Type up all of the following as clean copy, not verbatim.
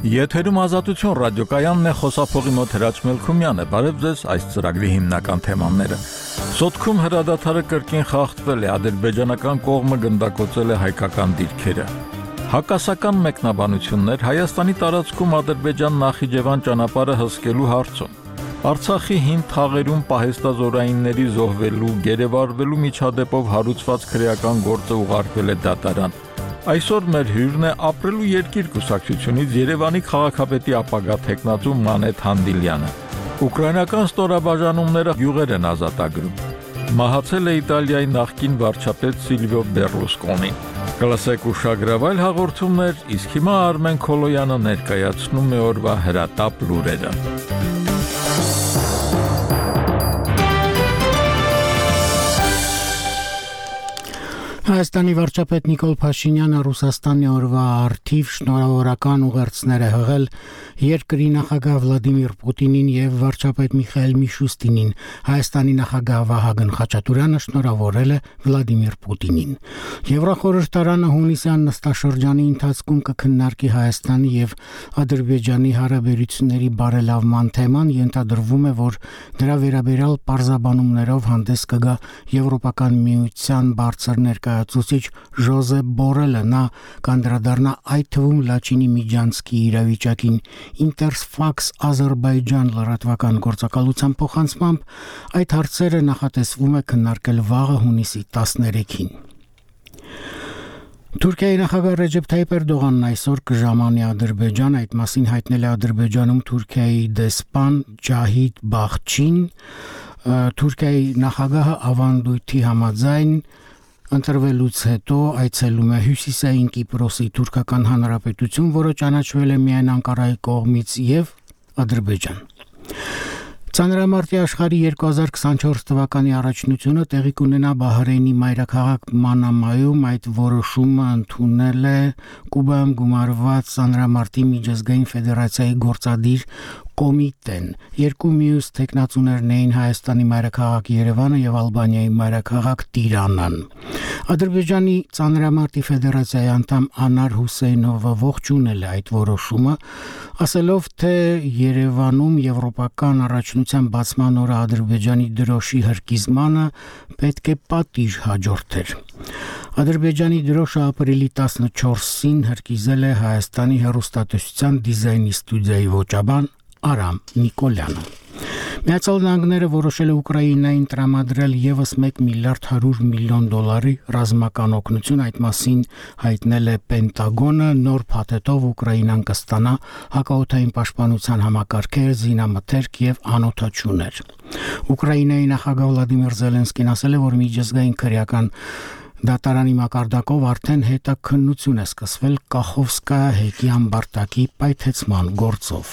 Եթերում Ազատություն ռադիոկայանն է, խոսափողի մոտ Հրաչ Մելքումյանը։ Բարև ձեզ, այս ծրագրի հիմնական թեմաները։ Սոտքում հրադադարը կրկին խախտվել է, ադրբեջանական կողմը գնդակոծել է հայկական դիրքերը։ Հակասական մեկնաբանություններ Հայաստանի տարածքում Ադրբեջան-Նախիջևան ճանապարհը հսկելու հարցում։ Արցախի հին թաղերում պահեստազորայինների զոհվելու, գերեվարվելու միջադեպով հարուցված քրեական գործը ուղարկվել է դատարան։ Այսօր մեր հյուրն է ապրելու երկիր կուսակցությունից Երևանի քաղաքապետի ապագա թեկնածու Մանեթ Հանդիլյանը։ Ուկրաինական ստորաբաժանումները գյուղեր են ազատագրում։ Մահացել է Իտալիայի նախկին վարչապետ Սիլվիո Բեռլուսկոնին։ Կլսեք ուշագրավայր հաղորդումներ, իսկ հիմա Արմեն Քոլոյանը ներկայացնում է օրվա հրատապ լուրերը։ Հայաստանի վարչապետ Նիկոլ Փաշինյանը Ռուսաստանի օրվա արդիվ շնորհավորական ուղերձներ է հղել երկրի նախագահ Վլադիմիր Պուտինին եւ վարչապետ Միխայել Միշուստինին։ Հայաստանի նախագահ Վահագն Խաչատուրյանը շնորհավորել է Վլադիմիր Պուտինին։ Եվրախորհրդարանը հունիսյան նստաշրջանի ընթացքում կքննարկի Հայաստանի եւ Ադրբեջանի հարաբերությունների բարելավման թեման, ենթադրվում է, որ դրա վերաբերյալ պարզաբանումներով հանդես կգա Եվրոպական միության բարձր ներկայացուցիչ Ժոզեփ Բորելը, նա կանդրադառնա այդ թվում Լաչինի Միջանցքի իրավիճակին։ Interfax Azerbaijan լրատվական գործակալության փոխանցմամբ այդ հարցերը նախատեսվում է քննարկել վաղը հունիսի 13-ին։ Թուրքիայի նախագահ Ռեջեփ Թայիփ Էրդողանն այսօր կժամանի Ադրբեջան, այդ մասին հայտնել է Ադրբեջանում Թուրքիայի դեսպան Ջահիդ Բախչին։ Թուրքիայի նախագահը ավանդույթի համաձայն ընտրվելուց հետո այցելում է Հյուսիսային Կիպրոսի թուրքական հանրապետություն, որը ճանաչվել է միայն Անկարայի կողմից, եւ Ադրբեջան։ Ծանրամարտի աշխարհի 2024 թվականի առաջնությունը տեղի կունենա Բահրեյնի մայրաքաղաք Մանամայում, այդ որոշումը ընդունել է Կուբայում գումարված Ծանրամարտի միջազգային ֆեդերացիայի գործադիր կոմիտեն։ Երկու մյուս տեխնացուներն էին Հայաստանի մայրաքաղաք Երևանը եւ Ալբանիայի մայրաքաղաք Տիրանան։ Ադրբեջանի Ծանրամարտի ֆեդերացիայի անդամ Անար Հուսեյնովը ողջունել է այդ որոշումը, ասելով, թե Երևանում եվրոպական առաջնության բացման օրը Ադրբեջանի դրոշի հրկիզմանը պետք է պատիժ հաջորդեր։ Ադրբեջանի դրոշը ապրիլի 14-ին հրկիզել է Հայաստանի հեռուստատեսության դիզայնի ստուդիայի ոճաբան Արամ Նիկոլյանը։ Միացյալ Նահանգները որոշել է Ուկրաինային տրամադրել եւս 1 միլիարդ 100 միլիոն դոլարի ռազմական օգնություն, այդ մասին հայտնել է Պենտագոնը, նոր փաթեթով Ուկրաինան կստանա հակաօդային պաշտպանության համակարգեր, զինամթերք եւ անօդաչուներ։ Ուկրաինայի նախագահ Վլադիմիր Զելենսկին ասել է, որ միջազգային քրեական դատարանի մակարդակով արդեն հետաքննություն է սկսվել Կախովսկայա հեկի ամբարտակի պայթեցման գործով։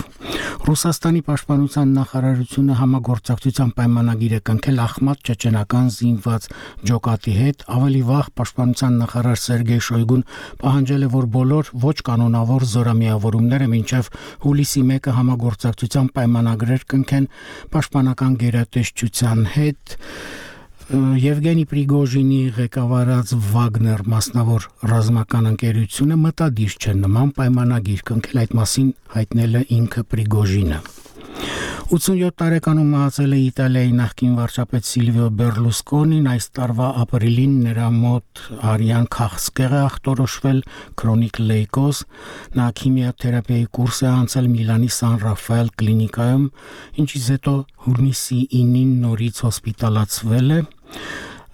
Ռուսաստանի պաշտպանության նախարարությունը համագործակցության պայմանագիր է կնքել Ախմատ ճեչենական զինված ջոկատի հետ։ Ավելի վաղ պաշտպանության նախարար Սերգեյ Շոյգուն պահանջել է, որ բոլոր ոչ կանոնավոր զորամիավորումները մինչև հուլիսի 1-ը համագործակցության պայմանագրեր կնքեն պաշտպանական գերատեսչության հետ։ Եվգենի Պրիգոժինի ղեկավարած Վագներ մասնավոր ռազմական ընկերությունը մտադիր չէ նման պայմանագիր կնքել, այդ մասին հայտնել է ինքը Պրիգոժինը։ 87 տարեկանում մահացել է Իտալիայի նախկին վարչապետ Սիլվիո Բեռլուսկոնին, այս տարվա ապրիլին նրա մոտ արյան քաղցկեղ է ախտորոշվել քրոնիկ լեյկոզ, նա քիմիաթերապիայի կուրս է անցել Միլանի Սան Ռաֆայել կլինիկայում, ինչից հետո հունիսի 9-ին նորից հոսպիտալացվել է։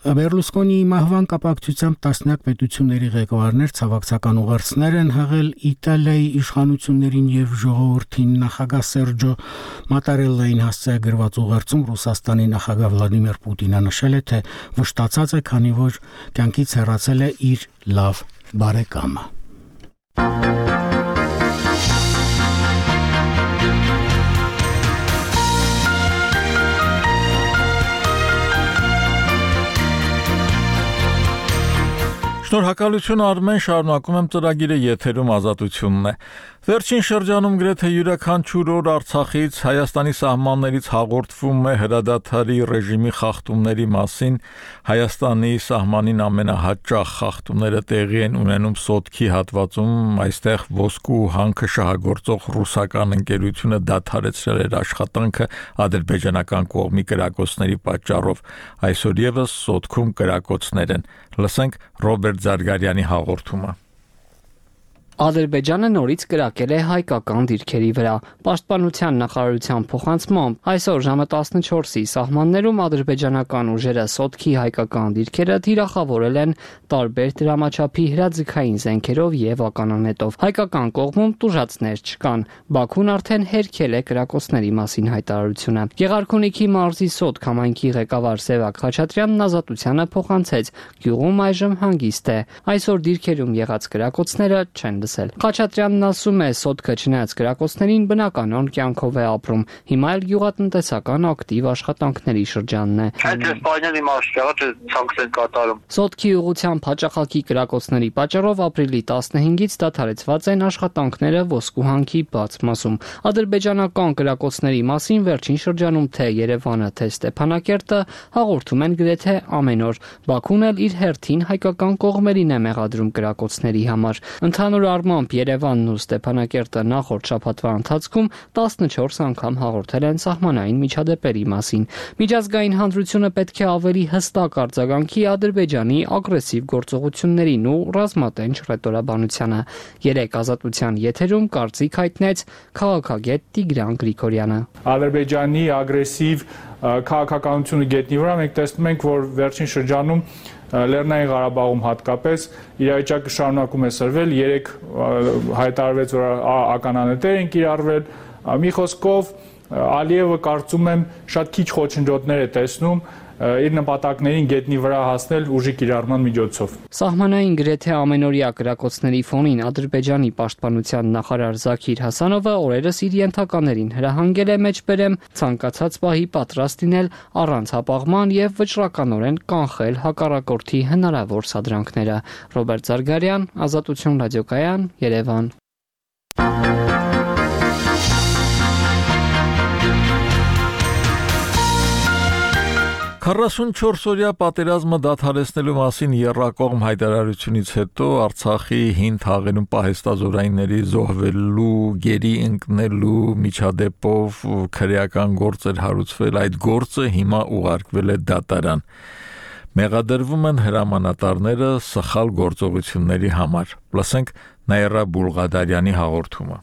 Բեռլուսկոնիի մահվան կապակցությամբ տասնյակ պետությունների ղեկավարներ ցավակցական ուղերձներ են հղել Իտալիայի իշխանություններին եւ ժողովրդին։ Նախագահ Սերջո Մատարելլային հասցեագրված ուղերձում Ռուսաստանի նախագահ Վլադիմիր Պուտինը նշել է, թե վշտացած է, քանի որ կյանքից հեռացել է իր լավ բարեկամը։ Շնորհակալություն Արմեն, շարունակում եմ ծրագիրը, եթերում Ազատությունն է։ Վերջին շրջանում գրեթե յուրաքանչյուր օր Արցախից, Հայաստանի սահմաններից հաղորդվում է հրադադարի ռեժիմի խախտումների մասին։ Հայաստանի սահմանին ամենահաճախ խախտումները տեղի են ունենում Սոտքի հատվածում, այստեղ ոսկու հանքը շահագործող ռուսական ընկերությունը դադարեցրել էր աշխատանքը ադրբեջանական կողմի կրակոցների պատճառով։ Այսօր եւս Սոտքում կրակոցներ են։ Լսենք Ռոբերտ Զարգարյանի հաղորդումը։ Ադրբեջանը նորից կրակել է հայկական դիրքերի վրա։ Պաշտպանության նախարարության փոխանցմամբ այսօր ժամը 14-ի սահմաններում ադրբեջանական ուժերը Սոտքի հայկական դիրքերը թիրախավորել են տարբեր դրամաչափի հրաձգային զենքերով եւ ականանետով։ Հայկական կողմում տուժածներ չկան։ Բաքուն արդեն հերքել է կրակոցների մասին հայտարարությունը։ Գեղարքունիքի մարզի Սոտք համայնքի ղեկավար Սևակ Խաչատրյանն Ազատությանը փոխանցեց. գյուղում այժմ հանգիստ է։ Այսօր դիրքերում եղած կրակոցները չեն լսել։ Խաչատրյանն ասում է, Սոտքը չնայած կրակոցներին բնականon կյանքով է ապրում։ Հիմա էլ գյուղատնտեսական ակտիվ աշխատանքների շրջանն է։ Սոտքի ուղղությամբ հաճախակի կրակոցների պատճառով ապրիլի 15-ից դադարեցված են աշխատանքները ոսկու հանքի բաց մասում։ Ադրբեջանական կրակոցների մասին վերջին շրջանում թե Երևանը, թե Ստեփանակերտը հաղորդում են գրեթե ամեն օր։ Բաքուն էլ իր հերթին հայկական կողմերին է մեղադրում կրակոցների համար։ Ընդհանուր առմամբ Երևանն ու Ստեփանակերտը նախորդ շաբաթվա ընթացքում 14 անգամ հաղորդել են սահմանային միջադեպերի մասին։ Միջազգային հանրությունը պետք է ավելի հստակ արձագանքի Ադրբեջանի ագրեսիվ գործողություններին ու ռազմատենչ ռետորաբանությանը։ Երեք Ազատության եթերում կարծիք հայտնեց քաղաքագետ Տիգրան Գրիգորյանը։ Ադրբեջանի ագրեսիվ քաղաքականությունը գետնի վրա մենք տեսնում ենք, որ վերջին շրջանում Լեռնային Ղարաբաղում հատկապես իրավիճակը շարունակում է սրվել, երեք հայտարարվեց, որ ականանետեր են կիրառվել, մի խոսքով Ալիևը կարծում եմ շատ քիչ խոչընդոտներ է տեսնում իր նպատակներին գետնի վրա հասնել ուժի կիրառման միջոցով։ Սահմանային գրեթե ամենօրյա կրակոցների ֆոնին Ադրբեջանի պաշտպանության նախարար Զաքիր Հասանովը օրերս իր ենթականերին հրահանգել է մեջբերեմ ցանկացած պահի պատրաստ լինել առանց հապաղման եւ վճռականորեն կանխել հակառակորդի հնարավոր սադրանքները։ Ռոբերտ Զարգարյան, Ազատություն ռադիոկայան, Երևան։ 44-օրյա պատերազմը դադարեցնելու մասին եռակողմ հայտարարությունից հետո Արցախի հին թաղերում պահեստազորայինների զոհվելու, գերի ընկնելու միջադեպով քրեական գործ էր հարուցվել, այդ գործը հիմա ուղարկվել է դատարան։ Մեղադրվում են հրամանատարները սխալ գործողությունների համար։ Լսենք Նաիրա Բուլղադարյանի հաղորդումը։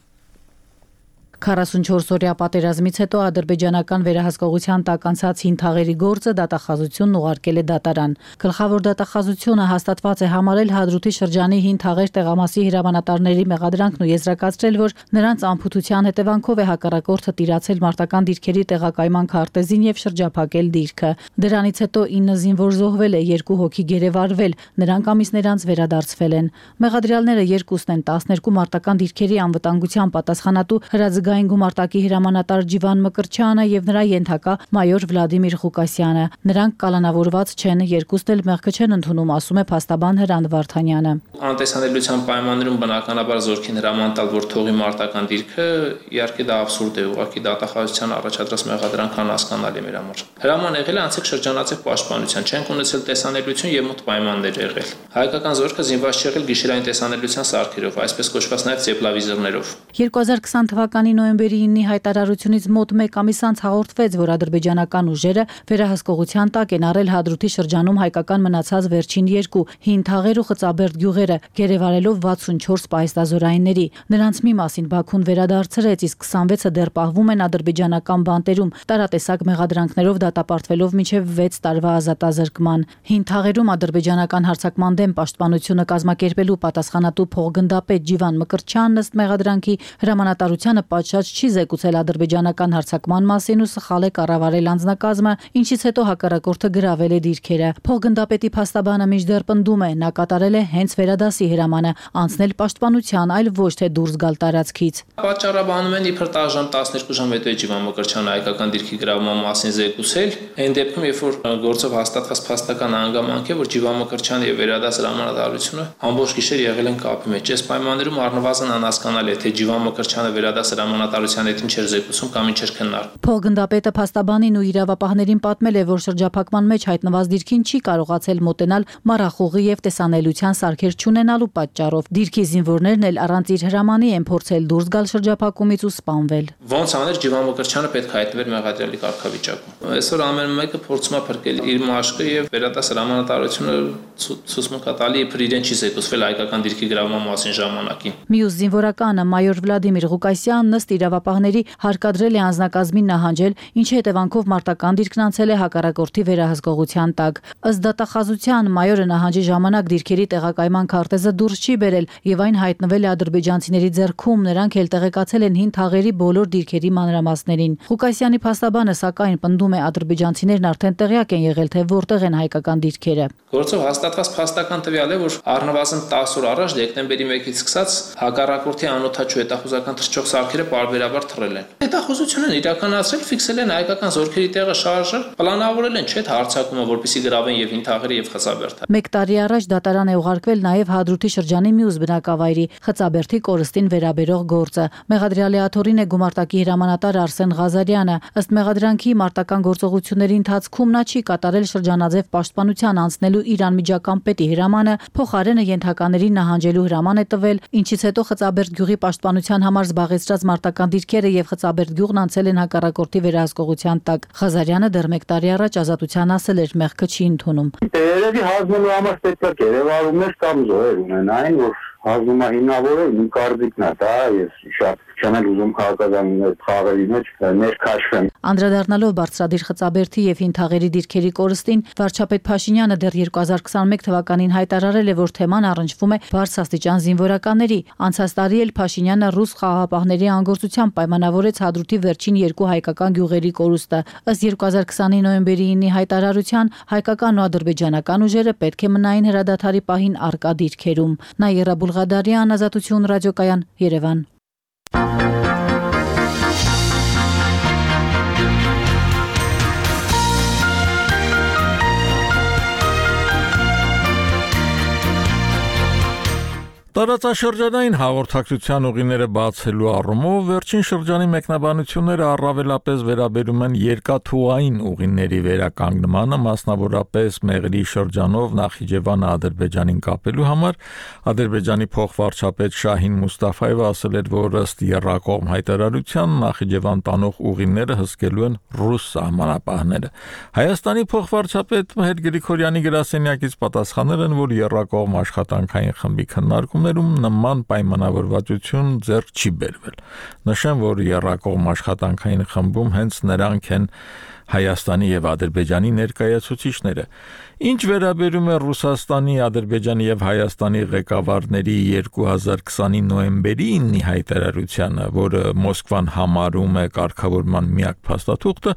44-օրյա պատերազմից հետո ադրբեջանական վերահսկողության տակ անցած հին թաղերի գործը դատախազությունն ուղարկել է դատարան։ Գլխավոր դատախազությունը հաստատված է համարել Հադրութի շրջանի հին թաղեր տեղամասի հրամանատարների մեղադրանքն ու եզրակացրել, որ նրանց անփութության հետևանքով է հակառակորդը տիրացել մարտական դիրքերի տեղակայման քարտեզին եւ շրջափակել դիրքը։ Դրանից հետո 9 զինվոր զոհվել է, 2 հոգի գերեվարվել, նրանք ամիսներ անց վերադարձվել են։ Մեղադրյալները երկուսն են 12 մարտական դիրքերի անվտանգության պատասխանատու հրաձգային գումարտակի հրամանատար Ջիվան Մկրչյանը եւ նրա ենթակա մայոր Վլադիմիր Ղուկասյանը։ Նրանք կալանավորված չեն, երկուսն էլ մեղքը չեն ընդունում, ասում է փաստաբան Հրանտ Վարդանյանը։ Անտեսանելիության պայմաններում բնականաբար զորքին հրամանտալ, որ թողի մարտական դիրքը, իհարկե դա աբսուրդ է, ուղղակի դատախազության առաջադրած մեղադրանքը անհասկանալի մեր համար։ Հրաման եղել է անցիկ շրջանացիկ պաշտպանության, չենք ունեցել տեսանելիություն եւ մոտ պայմաններ եղել։ Հայկական զորքը զինված չեղել գիշերային տեսանելիության սարքերով, այսպես կոչված նաեւ ծեպլավիզորներով։ 2020 թվականի նոյեմբերի 9-ի հայտարարությունից մոտ 1 ամիս անց հաղորդվեց, որ ադրբեջանական ուժերը վերահսկողության տակ են առել Հադրութի շրջանում հայկական մնացած վերջին 2 հին թաղեր ու Խծաբերդ գյուղերը, գերեվարելով 64 պահեստազորայինների։ Նրանց մի մասին Բաքուն վերադարձրեց, իսկ 26-ը դեռ պահվում են ադրբեջանական բանտերում, տարատեսակ մեղադրանքներով դատապարտվելով մինչև 6 տարվա ազատազրկման։ Հին թաղերում ադրբեջանական հարձակման դեմ պաշտպանությունը կազմակերպելու պատասխանատու փոխգնդապետ Ջիվան Մկրչյանն ըստ մեղադրանքի հրամանատարությանը պատշաճ չի զեկուցել ադրբեջանական հարձակման մասին ու սխալ է կառավարել անձնակազմը, ինչից հետո հակառակորդը գրավել է դիրքերը։ Փոխգնդապետի փաստաբանը մինչդեռ պնդում է, նա կատարել է հենց վերադասի հրամանը, անցնել պաշտպանության, այլ ոչ թե դուրս գալ տարածքից։ Պատճառաբանում են իբր տաժամ 12 ժամ հետո Ջիվան Մկրտչյանը հայկական դիրքի գրավման մասին զեկուցել, այն դեպքում, երբ որ գործով հաստատված փաստական հանգամանք է, որ Ջիվան Մկրտչյանը եւ վերադաս հրամանատարությունը ամբողջ գիշեր եղել են կապի մեջ։ Այս պայմաններում առնվազն անհասկանալի է, թե Ջիվան Մկրտչյանը վերադաս հրամանատարության հետ ինչ էր զեկուցում կամ ինչ էր քննարկում։ Փոխգնդապետը փաստաբանին ու իրավապահներին պատմել է, որ շրջափակման մեջ հայտնված դիրքին չի կարողացել մոտենալ մառախուղի եւ տեսանելիության սարքեր չունենալու պատճառով։ Դիրքի զինվորներն էլ առանց իր հրամանի են փորձել դուրս գալ շրջափակումից ու սպանվել։ Ոնց աներ Ջիվան Մկրտչյանը պետք է հայտնվեր մեղադրյալի կարգավիճակում։ Այսօր ամեն մեկը փորձում է փրկել իր մաշկը եւ վերադաս հրամանատարությունը ցուցմունք է տալի, իբր իրեն չի զեկուցվել հայկական դիրքի գրավման մասին ժամանակին։ Մյուս զինվորականը մայոր Վլադիմիր Ղուկասյանն ըստ իրավապահների հարկադրել է անձնակազմին նահանջել, ինչի հետևանքով մարտական դիրքն անցել է հակառակորդի վերահսկողության տակ։ Ըստ դատախազության մայորը նահանջի ժամանակ դիրքերի տեղակայման քարտեզը դուրս չի բերել եւ այն հայտնվել է ադրբեջանցիների ձեռքում, նրանք էլ տեղեկացել են հին թաղերի բոլոր դիրքերի մանրամասներին։ Ղուկասյանի փաստաբանը սակայն պնդում է ադրբեջանցիներն արդեն տեղյակ են եղել, թե որտեղ են հայկական դիրքերը։ Գործով հաստատված փաստական տվյալ է, որ առնվազն 10 օր առաջ դեկտեմբերի 1-ից սկսած հակառակորդի անօթաչու հետախուզական թռչող սարքերը պարբերաբար թռել են։ Հետախուզություն են իրականացրել, ֆիքսել են հայկական զորքերի տեղը շարժել, պլանավորել են չէ՞ հարձակումը, որպեսզի գրավեն եւ հին թաղերը եւ Խծաբերդը։ 1 տարի առաջ դատարան է ուղարկվել նաեւ Հադրութի շրջանի մյուս բնակավայրի Խծաբերդի կորստին վերաբերող գործը։ Մեղադրյալի աթոռին է գումարտակի հրամանատար Արսեն Ղազարյանը։ Ըստ մեղադրանքի մարտական գործողությունների ընթացքում նա չի կատարել շրջանաձև պաշտպանության անցնելու իր անմիջական պետի հրամանը, փոխարենը ենթականերին նահանջելու հրաման է տվել, ինչից հետո Խծաբերդ գյուղի պաշտպանության համար զբաղեցրած մարտական դիրքերը եւ Խծաբերդ գյուղն անցել են հակառակորդի վերահսկողության տակ։ Ղազարյանը դեռ 1 տարի առաջ ազատության ասել էր, մեղքը չի ընդունում։ Երևի հանձնելու համար պետք է գերեվարումներ կամ զոհեր ունենային, որ հանձնումը հիմնավորել իմ կարծիքն է, դա ես շատ չեմ ուզում քաղաքականների խաղերի մեջ ներքաշվեմ։ Անդրադառնալով բարձրադիր Խծաբերդի եւ հին թաղերի դիրքերի կորստին, վարչապետ Փաշինյանը դեռ 2021 թվականին հայտարարել է, որ թեման առնչվում է բարձրաստիճան զինվորականների։ Անցած տարի էլ Փաշինյանը ռուս խաղաղապահների անգործությամբ պայմանավորեց Հադրութի վերջին 2 հայկական գյուղերի կորուստը։ Ըստ 2020-ի նոյեմբերի 9-ի հայտարարության, հայկական ու ադրբեջանական ուժերը պետք է մնային հրադադարի պահին առկա դիրքերում։ Նաիրա Բուլղադարյան, Ազատություն ռադիոկայան, Երևան։ Տարածաշրջանային հաղորդակցության ուղիները բացելու առումով վերջին շրջանի մեկնաբանությունները առավելապես վերաբերում են երկաթուղային ուղիների վերականգնմանը, մասնավորապես Մեղրի շրջանով Նախիջևանը Ադրբեջանին կապելու համար։ Ադրբեջանի փոխվարչապետ Շահին Մուստաֆայևը ասել էր, որ ըստ եռակողմ հայտարարության Նախիջևան տանող ուղիները հսկելու են ռուս սահմանապահները։ Հայաստանի փոխվարչապետ Մհեր Գրիգորյանի գրասենյակից պատասխանել են, որ եռակողմ աշխատանքային խմբի քննարկումներում նման պայմանավորվածություն ձեռք չի բերվել։ Նշեմ, որ եռակողմ աշխատանքային խմբում հենց նրանք են Հայաստանի եւ Ադրբեջանի ներկայացուցիչները։ Ինչ վերաբերում է Ռուսաստանի, Ադրբեջանի եւ Հայաստանի ղեկավարների 2020-ի նոյեմբերի 9-ի հայտարարությանը, որը Մոսկվան համարում է կարգավորման միակ փաստաթուղթը,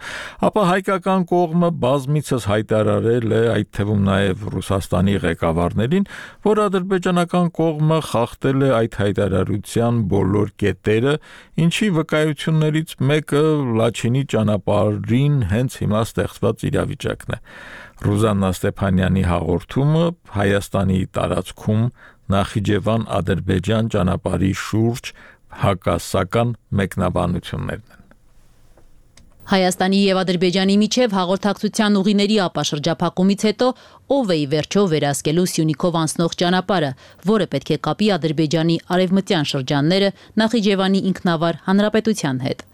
ապա հայկական կողմը բազմիցս հայտարարել է, այդ թվում նաեւ Ռուսաստանի ղեկավարներին, որ ադրբեջանական կողմը խախտել է այդ հայտարարության բոլոր կետերը, ինչի վկայություններից մեկը Լաչինի ճանապարհին հենց հիմա ստեղծված իրավիճակն է։ Ռուզաննա Ստեփանյանի հաղորդումը Հայաստանի տարածքում Նախիջևան-Ադրբեջան ճանապարհի շուրջ հակասական մեկնաբանություններն են։ Հայաստանի եւ Ադրբեջանի միջև հաղորդակցության ուղիների ապաշրջափակումից հետո ով է ի վերջո վերահսկելու Սյունիքով անցնող ճանապարհը, որը պետք է կապի Ադրբեջանի արևմտյան շրջանները Նախիջևանի ինքնավար հանրապետության հետ։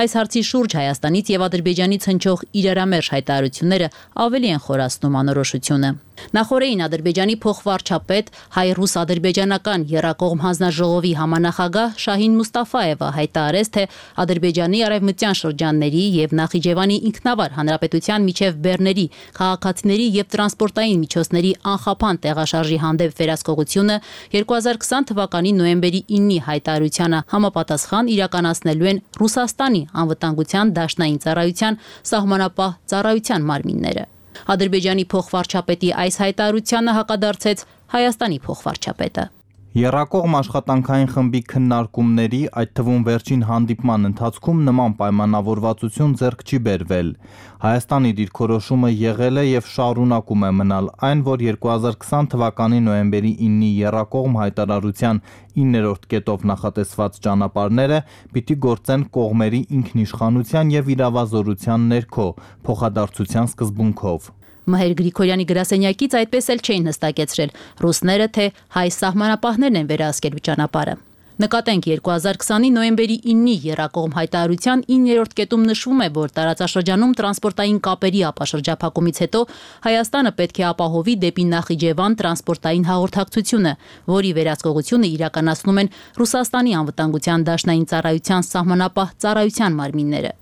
Այս հարցի շուրջ Հայաստանից եւ Ադրբեջանից հնչող իրարամերժ հայտարարությունները ավելի են խորացնում անորոշությունը։ Նախորդին Ադրբեջանի փոխվարչապետ հայ-ռուս-ադրբեջանական եռակողմ հանձնաժողովի համանախագահ Շահին Մուստաֆաևը հայտարարեց, թե Ադրբեջանի արևմտյան շրջանների եւ Նախիջևանի ինքնավար հանրապետության միջև բեռների, քաղաքացիների եւ տրանսպորտային միջոցների անխափան տեղաշարժի հանդեպ վերահսկողությունը 2020 թվականի նոյեմբերի 9-ի հայտարարությանը համապատասխան իրականացնելու են Ռուսաստանի անվտանգության դաշնային ծառայության սահմանապահ ծառայության մարմինները։ Ադրբեջանի փոխվարչապետի այս հայտարարությանը հակադարձեց Հայաստանի փոխվարչապետը։ Եռակողմ աշխատանքային խմբի քննարկումների, այդ թվում վերջին հանդիպման ընթացքում նման պայմանավորվածություն ձեռք չի բերվել։ Հայաստանի դիրքորոշումը եղել է եւ շարունակում է մնալ այն, որ 2020 թվականի նոյեմբերի 9-ի եռակողմ հայտարարության 9-րդ կետով նախատեսված ճանապարհները պիտի գործեն կողմերի ինքնիշխանության եւ իրավազորության ներքո, փոխադարձության սկզբունքով։ Մհեր Գրիգորյանի գրասենյակից այդպես էլ չէին հստակեցրել ռուսները, թե հայ սահմանապահներն են վերահսկելու ճանապարհը։ Նկատենք 2020-ի նոյեմբերի 9-ի եռակողմ հայտարարության 9-րդ կետում նշվում է, որ տարածաշրջանում տրանսպորտային կապերի ապաշրջափակումից հետո Հայաստանը պետք է ապահովի դեպի Նախիջևան տրանսպորտային հաղորդակցությունը, որի վերահսկողությունը իրականացնում են Ռուսաստանի անվտանգության դաշնային ծառայության սահմանապահ ծառայության մարմինները։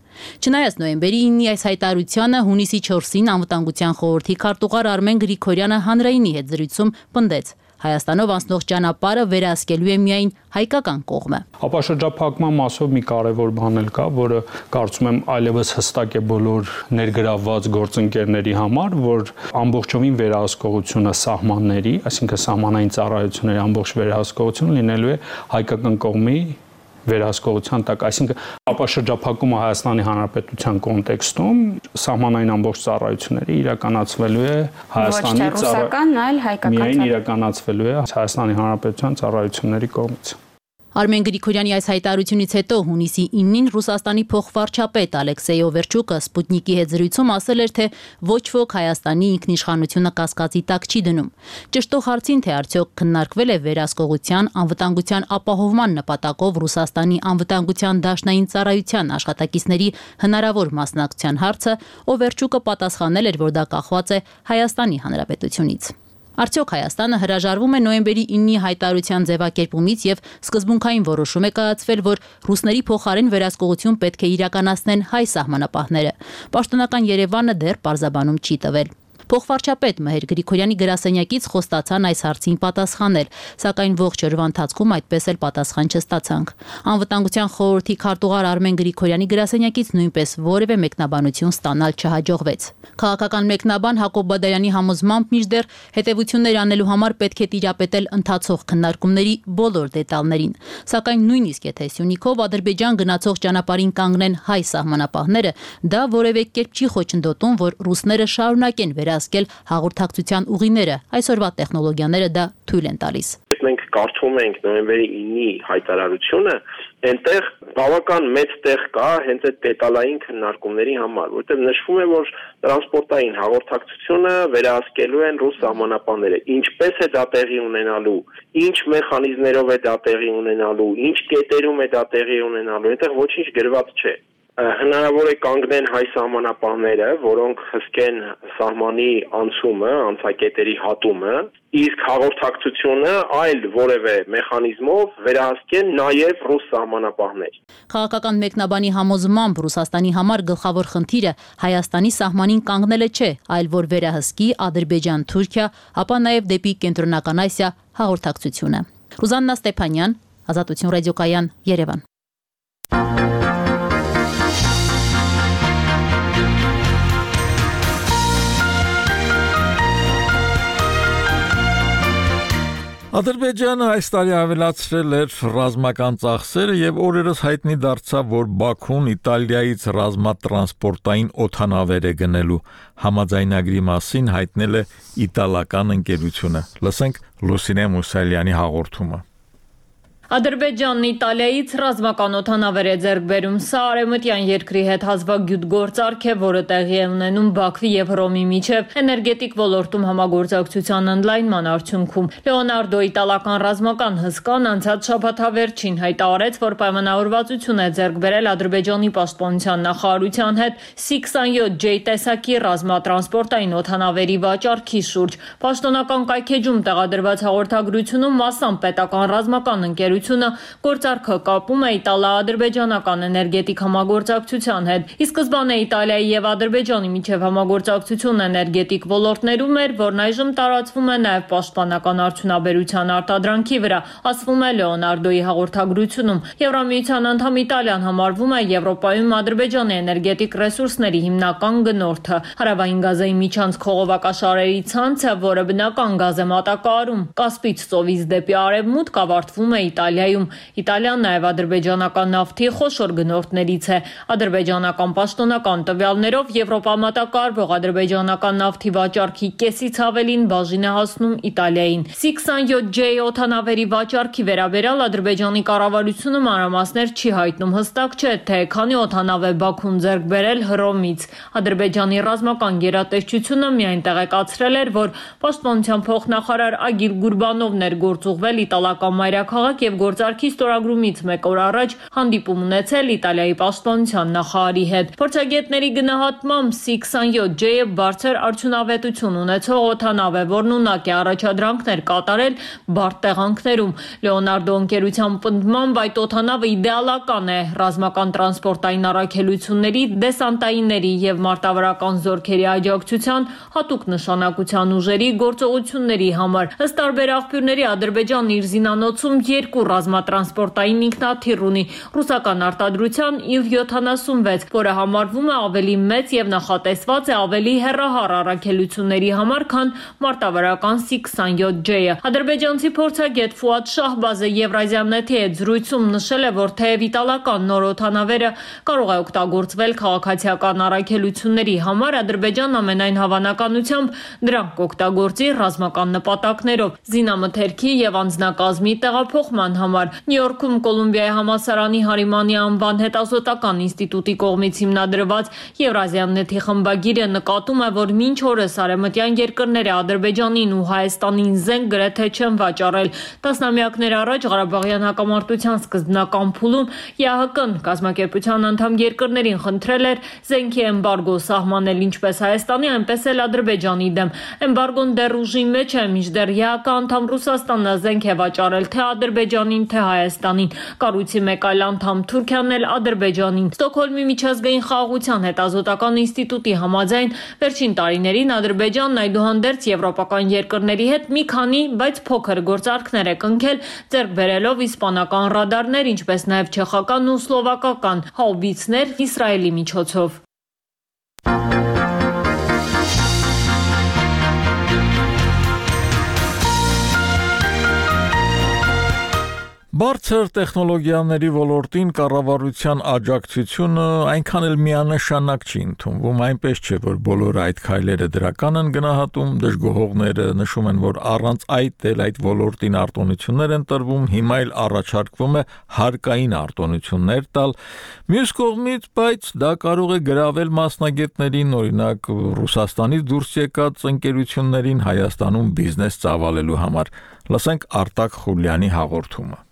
Չնայած նոյեմբերի 9-ի այս հայտարարությանը հունիսի 4-ին անվտանգության խորհրդի քարտուղար Արմեն Գրիգորյանը հանրայինի հետ զրույցում պնդեց. Հայաստանով անցնող ճանապարհը վերահսկելու է միայն հայկական կողմը։ Ապաշրջափակման մասով մի կարևոր բան էլ կա, որը կարծում եմ այլևս հստակ է բոլոր ներգրավված գործընկերների համար, որ ամբողջովին վերահսկողությունը սահմանների, այսինքն սահմանային ծառայությունների ամբողջ վերահսկողությունը լինելու է հայկական կողմի վերահսկողության տակ, այսինքն ապաշրջափակումը Հայաստանի Հանրապետության կոնտեքստում սահմանային ամբողջ ծառայությունների իրականացվելու է Հայաստանի ռուսական, այլ հայկական միայն իրականացվելու է Հայաստանի Հանրապետության ծառայությունների կողմից։ Արմեն Գրիգորյանի այս հայտարարությունից հետո հունիսի 9-ին Ռուսաստանի փոխվարչապետ Ալեքսեյ Օվերչուկը Սպուտնիկի հետ զրույցում ասել էր, թե ոչ ոք Հայաստանի ինքնիշխանությունը կասկածի տակ չի դնում։ Ճշտող հարցին, թե արդյոք քննարկվել է վերահսկողության, անվտանգության ապահովման նպատակով Ռուսաստանի անվտանգության դաշնային ծառայության աշխատակիցների հնարավոր մասնակցության հարցը, Օվերչուկը պատասխանել էր, որ դա կախված է Հայաստանի Հանրապետությունից։ Արդյոք Հայաստանը հրաժարվում է նոյեմբերի 9-ի հայտարարության ձևակերպումից եւ սկզբունքային որոշում է կայացվել, որ ռուսների փոխարեն վերահսկողություն պետք է իրականացնեն հայ սահմանապահները։ Պաշտոնական Երևանը դեռ պարզաբանում չի տվել։ Փոխվարչապետ Մհեր Գրիգորյանի գրասենյակից խոստացան այս հարցին պատասխանել, սակայն ողջ օրվա ընթացքում այդպես էլ պատասխան չստացանք։ Անվտանգության խորհրդի քարտուղար Արմեն Գրիգորյանի գրասենյակից նույնպես որևէ մեկնաբանություն ստանալ չհաջողվեց։ Քաղաքական մեկնաբան Հակոբ Բադայանի համոզմամբ մինչդեռ հետևություններ անելու համար պետք է տիրապետել ընթացող քննարկումների բոլոր դետալներին, սակայն նույնիսկ եթե Սյունիքով Ադրբեջան գնացող ճանապարհին կանգնեն հայ սահմանապահները, դա որևէ կերպ չի խոչընդոտում, որ ռուսները շարունակեն վերահսկել հաղորդակցության ուղիները, այսօրվա տեխնոլոգիաները դա թույլ են տալիս։ Մենք կարդում ենք նոյեմբերի 9-ի հայտարարությունը, այնտեղ բավական մեծ տեղ կա հենց այդ դետալային քննարկումների համար, որտեղ նշվում է, որ տրանսպորտային հաղորդակցությունը վերահսկելու են ռուս սահմանապահները, ինչպես է դա տեղի ունենալու, ինչ մեխանիզմներով է դա տեղի ունենալու, ինչ կետերում է դա տեղի ունենալու, այնտեղ ոչինչ գրված չէ։ Հնարավոր է կանգնեն հայ սահմանապահները, որոնք հսկեն սահմանի անցումը, անցակետերի հատումը, իսկ հաղորդակցությունը այլ որևէ մեխանիզմով վերահսկեն նաև ռուս սահմանապահներ։ Քաղաքական մեկնաբանի համոզմամբ Ռուսաստանի համար գլխավոր խնդիրը Հայաստանի սահմանին կանգնելը չէ, այլ որ վերահսկի Ադրբեջան, Թուրքիա, ապա նաև դեպի Կենտրոնական Ասիա հաղորդակցությունը։ Ռուզաննա Ստեփանյան, Ազատություն ռադիոկայան, Երևան։ Ադրբեջանը այս տարի ավելացրել էր ռազմական ծախսերը եւ օրերս հայտնի դարձավ, որ Բաքուն Իտալիայից ռազմատրանսպորտային օդանավեր է գնելու։ Համաձայնագրի մասին հայտնել է իտալական ընկերությունը։ Լսենք Լուսինե Մուսալյանի հաղորդումը։ Ադրբեջանն Իտալիայից ռազմական օդանավեր է ձեռք բերում։ Սա արևմտյան երկրի հետ հազվագյուտ գործարք է, որը տեղի է ունենում Բաքվի եւ Հռոմի միջև էներգետիկ ոլորտում համագործակցության ընդլայնման արդյունքում։ Լեոնարդո իտալական ռազմական հսկան անցած շաբաթավերջին հայտարարեց, որ պայմանավորվածություն է ձեռք բերել Ադրբեջանի պաշտպանության նախարարության հետ C-27J տեսակի ռազմատրանսպորտային օդանավերի վաճառքի շուրջ։ Պաշտոնական կայքեջում տեղադրված հաղորդագրությունում մասամբ պետական ռազմական ընկերությունը գործարքը կապում է իտալա-ադրբեջանական էներգետիկ համագործակցության հետ։ Ի սկզբանե Իտալիայի եւ Ադրբեջանի միջև համագործակցությունն էներգետիկ ոլորտներում էր, որն այժմ տարածվում է նաեւ պաշտպանական արդյունաբերության արտադրանքի վրա, ասվում է Լեոնարդոյի հաղորդագրությունում։ Եվրամիության անդամ Իտալիան համարվում է Եվրոպայում Ադրբեջանի էներգետիկ ռեսուրսների հիմնական գնորդը։ Հարավային Գազայի միջանցք խողովակաշարերի ցանցը, որը բնական գազ է մատակարարում Կասպից ծովից դեպի արևմուտք, ավարտվում է Իտալիայում։ Իտալիան նաև ադրբեջանական նավթի խոշոր գնորդներից է։ Ադրբեջանական պաշտոնական տվյալներով Եվրոպա մատակարարվող ադրբեջանական նավթի վաճառքի կեսից ավելին բաժին է հասնում Իտալիային։ C-27J օդանավերի վաճառքի վերաբերյալ Ադրբեջանի կառավարությունը մանրամասներ չի հայտնում։ Հստակ չէ, թե քանի օդանավ է Բաքուն ձեռք բերել Հռոմից։ Ադրբեջանի ռազմական գերատեսչությունը միայն տեղեկացրել էր, որ պաշտպանության փոխնախարար Ագիլ Գուրբանովն էր գործուղվել իտալական մայրաքաղաք եւ գործարքի ստորագրումից մեկ օր առաջ հանդիպում ունեցել Իտալիայի պաշտպանության նախարարի հետ։ Փորձագետների գնահատմամբ C-27J-ը բարձր արդյունավետություն ունեցող օդանավ է, որն ունակ է առաջադրանքներ կատարել բարդ տեղանքներում։ Լեոնարդո ընկերության պնդմամբ այդ օդանավը իդեալական է ռազմական տրանսպորտային առաքելությունների, դեսանտայինների եւ մարտավարական զորքերի աջակցության, հատուկ նշանակության ուժերի գործողությունների համար։ Ըստ տարբեր աղբյուրների Ադրբեջանն իր զինանոցում 2 ռազմատրանսպորտային ինքնաթիռ ունի՝ ռուսական արտադրության Il-76, որը համարվում է ավելի մեծ եւ նախատեսված է ավելի հեռահար առաքելությունների համար, քան մարտավարական C-27J-ը։ Ադրբեջանցի փորձագետ Ֆուադ Շահբազը Եվրազիանետի հետ զրույցում նշել է, որ թեև իտալական նոր օդանավերը կարող է օգտագործվել քաղաքացիական առաքելությունների համար, Ադրբեջանն ամենայն հավանականությամբ դրանք կօգտագործի ռազմական նպատակներով, զինամթերքի եւ անձնակազմի տեղափոխման համար։ Նյու Յորքում Կոլումբիայի համալսարանի Հարիմանի անվան հետազոտական ինստիտուտի կողմից հիմնադրված Եվրազիանետի խմբագիրը նկատում է, որ մինչ օրս արևմտյան երկրները Ադրբեջանին ու Հայաստանին զենք գրեթե չեն վաճառել։ Տասնամյակներ առաջ Ղարաբաղյան հակամարտության սկզբնական փուլում ԵԱՀԿ-ն կազմակերպության անդամ երկրներին խնդրել էր զենքի էմբարգո սահմանել ինչպես Հայաստանի, այնպես էլ Ադրբեջանի դեմ։ Էմբարգոն դեռ ուժի մեջ է, մինչդեռ ԵԱՀԿ անդամ Ռուսաստանը զենք է վաճառել թե Ադրբեջանին, թե Հայաստանին։ Կառույցի մեկ այլ անդամ Թուրքիան էլ Ադրբեջանին։ Ստոկհոլմի միջազգային խաղաղության հետազոտական ինստիտուտի համաձայն վերջին տարիներին Ադրբեջանն այդուհանդերձ եվրոպական երկրների հետ մի քանի, բայց փոքր գործարքներ է կնքել, ձեռք բերելով իսպանական ռադարներ, ինչպես նաև չեխական ու սլովակական հաուբիցներ Իսրայելի միջոցով։ Բարձր տեխնոլոգիաների ոլորտին կառավարության աջակցությունը այնքան էլ միանշանակ չի ընդունվում, այնպես չէ, որ բոլորը այդ քայլերը դրական են գնահատում, դժգոհողները նշում են, որ առանց այդ ոլորտին արտոնություններ են տրվում, հիմա էլ առաջարկվում է հարկային արտոնություններ տալ։ Մյուս կողմից, բայց դա կարող է գրավել մասնագետներին, օրինակ Ռուսաստանից դուրս եկած ընկերություններին Հայաստանում բիզնես ծավալելու համար։ Լսենք Արտակ Խուլյանի հաղորդումը։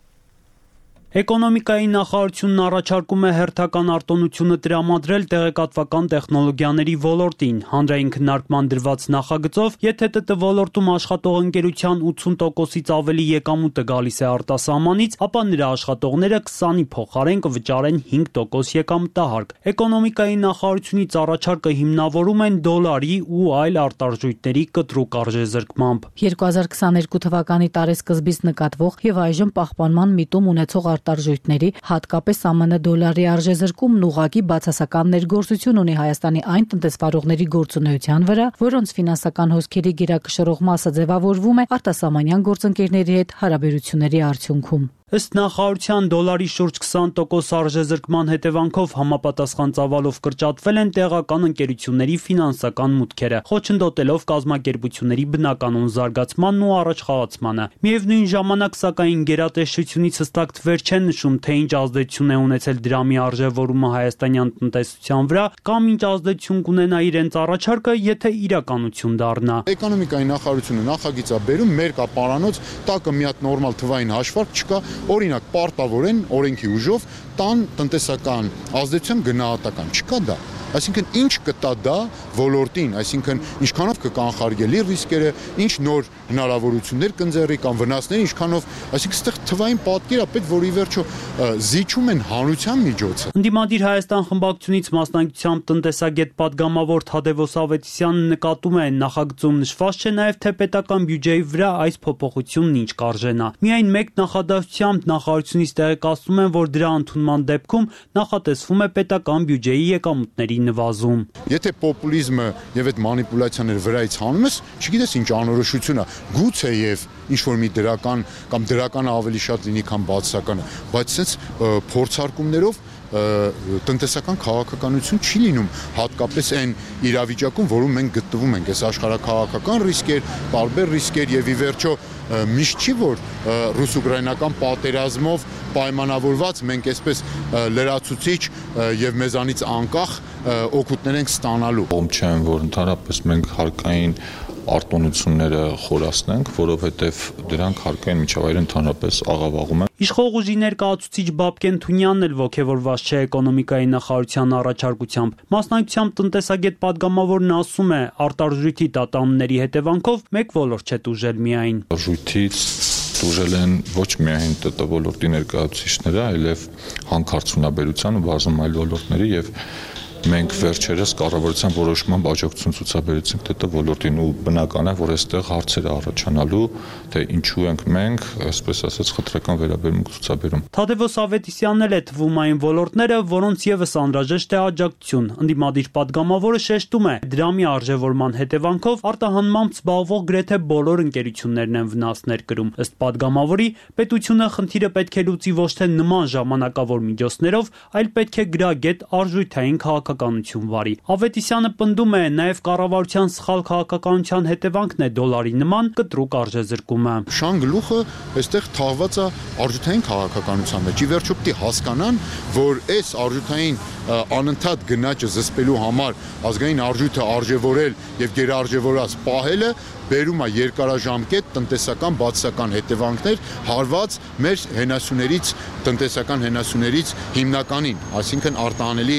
Էկոնոմիկայի նախարարությունն առաջարկում է հերթական արտոնությունը տրամադրել տեղեկատվական տեխնոլոգիաների ոլորտին։ Հանրային քննարկման դրված նախագծով, եթե ՏՏ ոլորտում աշխատող ընկերության 80%-ից ավելի եկամուտը գալիս է արտասահմանից, ապա նրա աշխատողները 20-ի փոխարեն կվճարեն 5% եկամտահարկ։ Էկոնոմիկայի նախարարությունից առաջարկը հիմնավորում են դոլարի ու այլ արտարժույթների կտրուկ արժեզրկմամբ։ 2022 թվականի տարեսկզբից նկատվող եւ այժմ պահպանման միտում ունեցող արտարժույթների, հատկապես ԱՄՆ դոլարի արժեզրկումն ուղղակի բացասական ներգործություն ունի Հայաստանի այն տնտեսվարողների գործունեության վրա, որոնց ֆինանսական հոսքերի գերակշռող մասը ձևավորվում է արտասահմանյան գործընկերների հետ հարաբերությունների արդյունքում։ Ըստ նախարարության դոլարի շուրջ 20% արժեզրկման հետևանքով համապատասխան ծավալով կրճատվել են տեղական ընկերությունների ֆինանսական մուտքերը, խոչընդոտելով կազմակերպությունների բնականոն զարգացմանն ու առաջխաղացմանը։ Միևնույն ժամանակ, սակայն, գերատեսչությունից հստակ թվեր չեն նշում, թե ինչ ազդեցություն է ունեցել դրամի արժևորումը հայաստանյան տնտեսության վրա կամ ինչ ազդեցություն կունենա իրենց առաջարկը, եթե իրականություն դառնա։ Էկոնոմիկայի նախարարությունը նախագիծ է բերում, մեր կա պարանոց, տակը մի հատ նորմալ թվային հաշվարկ չկա, օրինակ պարտավորեն օրենքի ուժով տան տնտեսական ազդեցություն գնահատական չկա դա։ Այսինքն ինչ կտա դա ոլորտին, այսինքն ինչքանով կկանխարգելի ռիսկերը, ինչ նոր հնարավորություններ կընձեռի կամ վնասներ, ինչքանով, այսինքն այստեղ թվային պատկեր է պետք, որ ի վերջո զիջում են հանրության միջոցը։ Ընդդիմադիր Հայաստան խմբակցությունից մասնակցությամբ տնտեսագետ պատգամավոր Թադևոս Ավետիսյանը նկատում է, նախագծում նշված չէ նաև թե պետական բյուջեի վրա այս փոփոխությունն ինչ կարժենա։ Միայն մեկ նախադասությամբ նախարարությունից տեղեկացնում են, որ դրա ընդունման դեպքում նախատեսվում է պետական բյուջեի եկամուտների նվազում։ Եթե պոպուլիզմը եւ այդ մանիպուլյացիաները վրայից հանում ես, չգիտես ինչ անորոշություն է, գուցե եւ ինչ որ մի դրական կամ դրականը ավելի շատ լինի, քան բացասականը, բայց sense փորձարկումներով տնտեսական քաղաքականություն չի լինում, հատկապես այն իրավիճակում, որում մենք գտնվում ենք, այս աշխարհաքաղաքական ռիսկեր, տարբեր ռիսկեր եւ ի վերջո միշտ չի որ ռուս-ուկրաինական պատերազմով պայմանավորված մենք այսպես լրացուցիչ եւ մեզանից անկախ օգուտներ ենք ստանալու։ Ում չեմ, որ ընդհանրապես մենք հարկային արտոնությունները խորացնենք, որովհետև դրանք հարկային միջավայրը ընդհանրապես աղավաղում են։ Իշխող ուժի ներկայացուցիչ Բաբկեն Թունյանն էլ ողջևորված չէ էկոնոմիկայի նախարարության առաջարկությամբ։ Մասնակցությամբ տնտեսագետ պատգամավորն ասում է, արտարժույթի տատանումների հետևանքով մեկ ոլորտ չէ տուժել միայն։ Արժույթից տուժել են ոչ միայն ՏՏ ոլորտի ներկայացուցիչները, այլև հանքարդյունաբերության ու բազում այլ ոլորտների եւ մենք վերջերս կառավարության որոշման աջակցություն ցուցաբերեցինք ՏՏ ոլորտին ու բնական է, որ այստեղ հարցեր առաջանալու, թե ինչու ենք մենք, այսպես ասած, խտրական վերաբերմունք ցուցաբերում։ Թադևոս Ավետիսյանն էլ է թվում այն ոլորտները, որոնց եւս անհրաժեշտ է աջակցություն։ Ընդդիմադիր պատգամավորը շեշտում է, դրամի արժևորման հետևանքով արտահանմամբ զբաղվող գրեթե բոլոր ընկերություններն են վնասներ կրում։ Ըստ պատգամավորի, պետությունը խնդիրը պետք է լուծի ոչ թե նման ժամանակավոր միջոցներով, այլ պետք է գրագետ արժույթային քաղաքականություն վարի։ Ավետիսյանը պնդում է, նաև կառավարության սխալ քաղաքականության հետևանքն է դոլարի նման կտրուկ արժեզրկումը։ Շան գլուխը այստեղ թաղված է արժութային քաղաքականության մեջ։ Ի վերջո պիտի հասկանան, որ այս արժութային անընդհատ գնաճը զսպելու համար ազգային արժույթը արժևորել եւ գերարժևորած պահելը բերում է երկարաժամկետ տնտեսական բացասական հետևանքներ հարված մեր հենասյուներից, տնտեսական հենասյուներից հիմնականին, այսինքն արտահանելի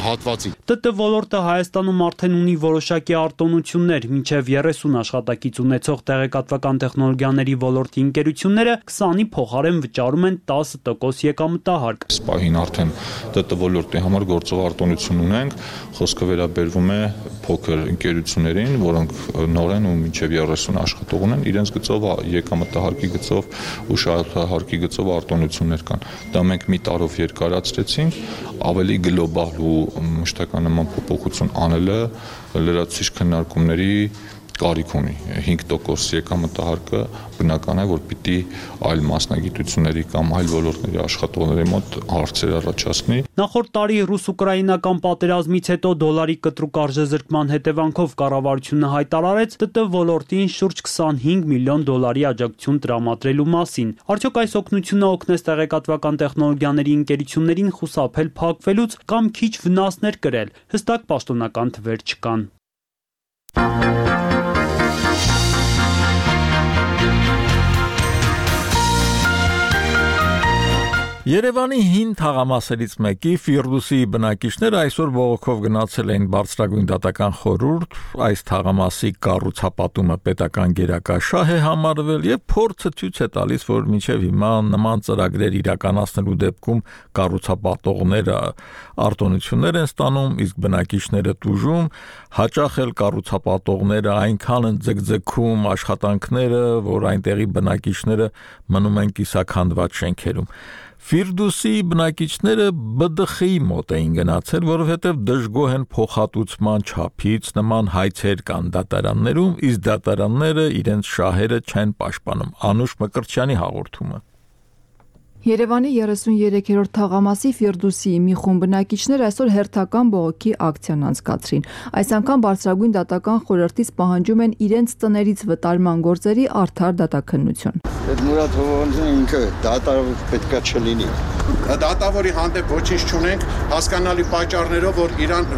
հատվածի։ ՏՏ ոլորտը Հայաստանում արդեն ունի որոշակի արտոնություններ, մինչև 30 աշխատակից ունեցող տեղեկատվական տեխնոլոգիաների ոլորտի ընկերությունները 20-ի փոխարեն վճարում են 10% եկամտահարկ։ Սպահին արդեն ՏՏ ոլորտի համար գործող արտոնություն ունենք, խոսքը վերաբերվում է փոքր ընկերություններին, որոնք նոր են ու մինչև 30 աշխատող ունեն, իրենց գծով եկամտահարկի գծով ու շահարկի գծով արտոնություններ կան։ Դա մենք մի տարով երկարացրեցինք, ավելի գլոբալ ու մշտական նման փոփոխություն անելը լրացուցիչ քննարկումների կարիք ունի 5% եկամտահարկը բնական է, որ պիտի այլ մասնագիտությունների կամ այլ ոլորտների աշխատողների մոտ հարցեր առաջացնի։ Նախորդ տարի ռուս-ուկրաինական պատերազմից հետո դոլարի կտրուկ արժեզրկման հետևանքով կառավարությունը հայտարարեց ՏՏ ոլորտին շուրջ 25 միլիոն դոլարի աջակցություն տրամադրելու մասին։ Արդյոք այս օգնությունը օգնեց տեղեկատվական տեխնոլոգիաների ընկերություններին խուսափել փակվելուց կամ քիչ վնասներ կրել։ Հստակ պաշտոնական թվեր չկան։ Երևանի հին թաղամասերից մեկի Ֆիրդուսի բնակիչները այսօր բողոքով գնացել էին բարձրագույն դատական խորհուրդ, այս թաղամասի կառուցապատումը պետական գերակա շահ է համարվել եւ փորձը ցույց է տալիս, որ մինչեւ հիմա նման ծրագրեր իրականացնելու դեպքում կառուցապատողները արտոնություններ են ստանում, իսկ բնակիչները տուժում, հաճախ էլ կառուցապատողները այնքան են ձգձգում աշխատանքները, որ այնտեղի բնակիչները մնում են կիսաքանդված շենքերում։ Ֆիրդուսի բնակիչները ԲԴԽ-ի մոտ էին գնացել, որովհետև դժգոհ են փոխհատուցման չափից, նման հայցեր կան դատարաններում, իսկ դատարանները իրենց շահերը չեն պաշտպանում։ Անուշ Մկրտչյանի հաղորդումը։ Երևանի 33-րդ թաղամասի Ֆիրդուսի մի խումբ բնակիչներ այսօր հերթական բողոքի ակցիան անցկացրին։ Այս անգամ բարձրագույն դատական խորհրդից պահանջում են իրենց տներից վտարման գործերի արդար դատաքննություն։ Այդ Մուրադ Հովանեսյանը ինքը դատավոր պետքա չլինի։ Դատավորի հանդեպ ոչինչ չունենք, հասկանալի պատճառներով, որ իրան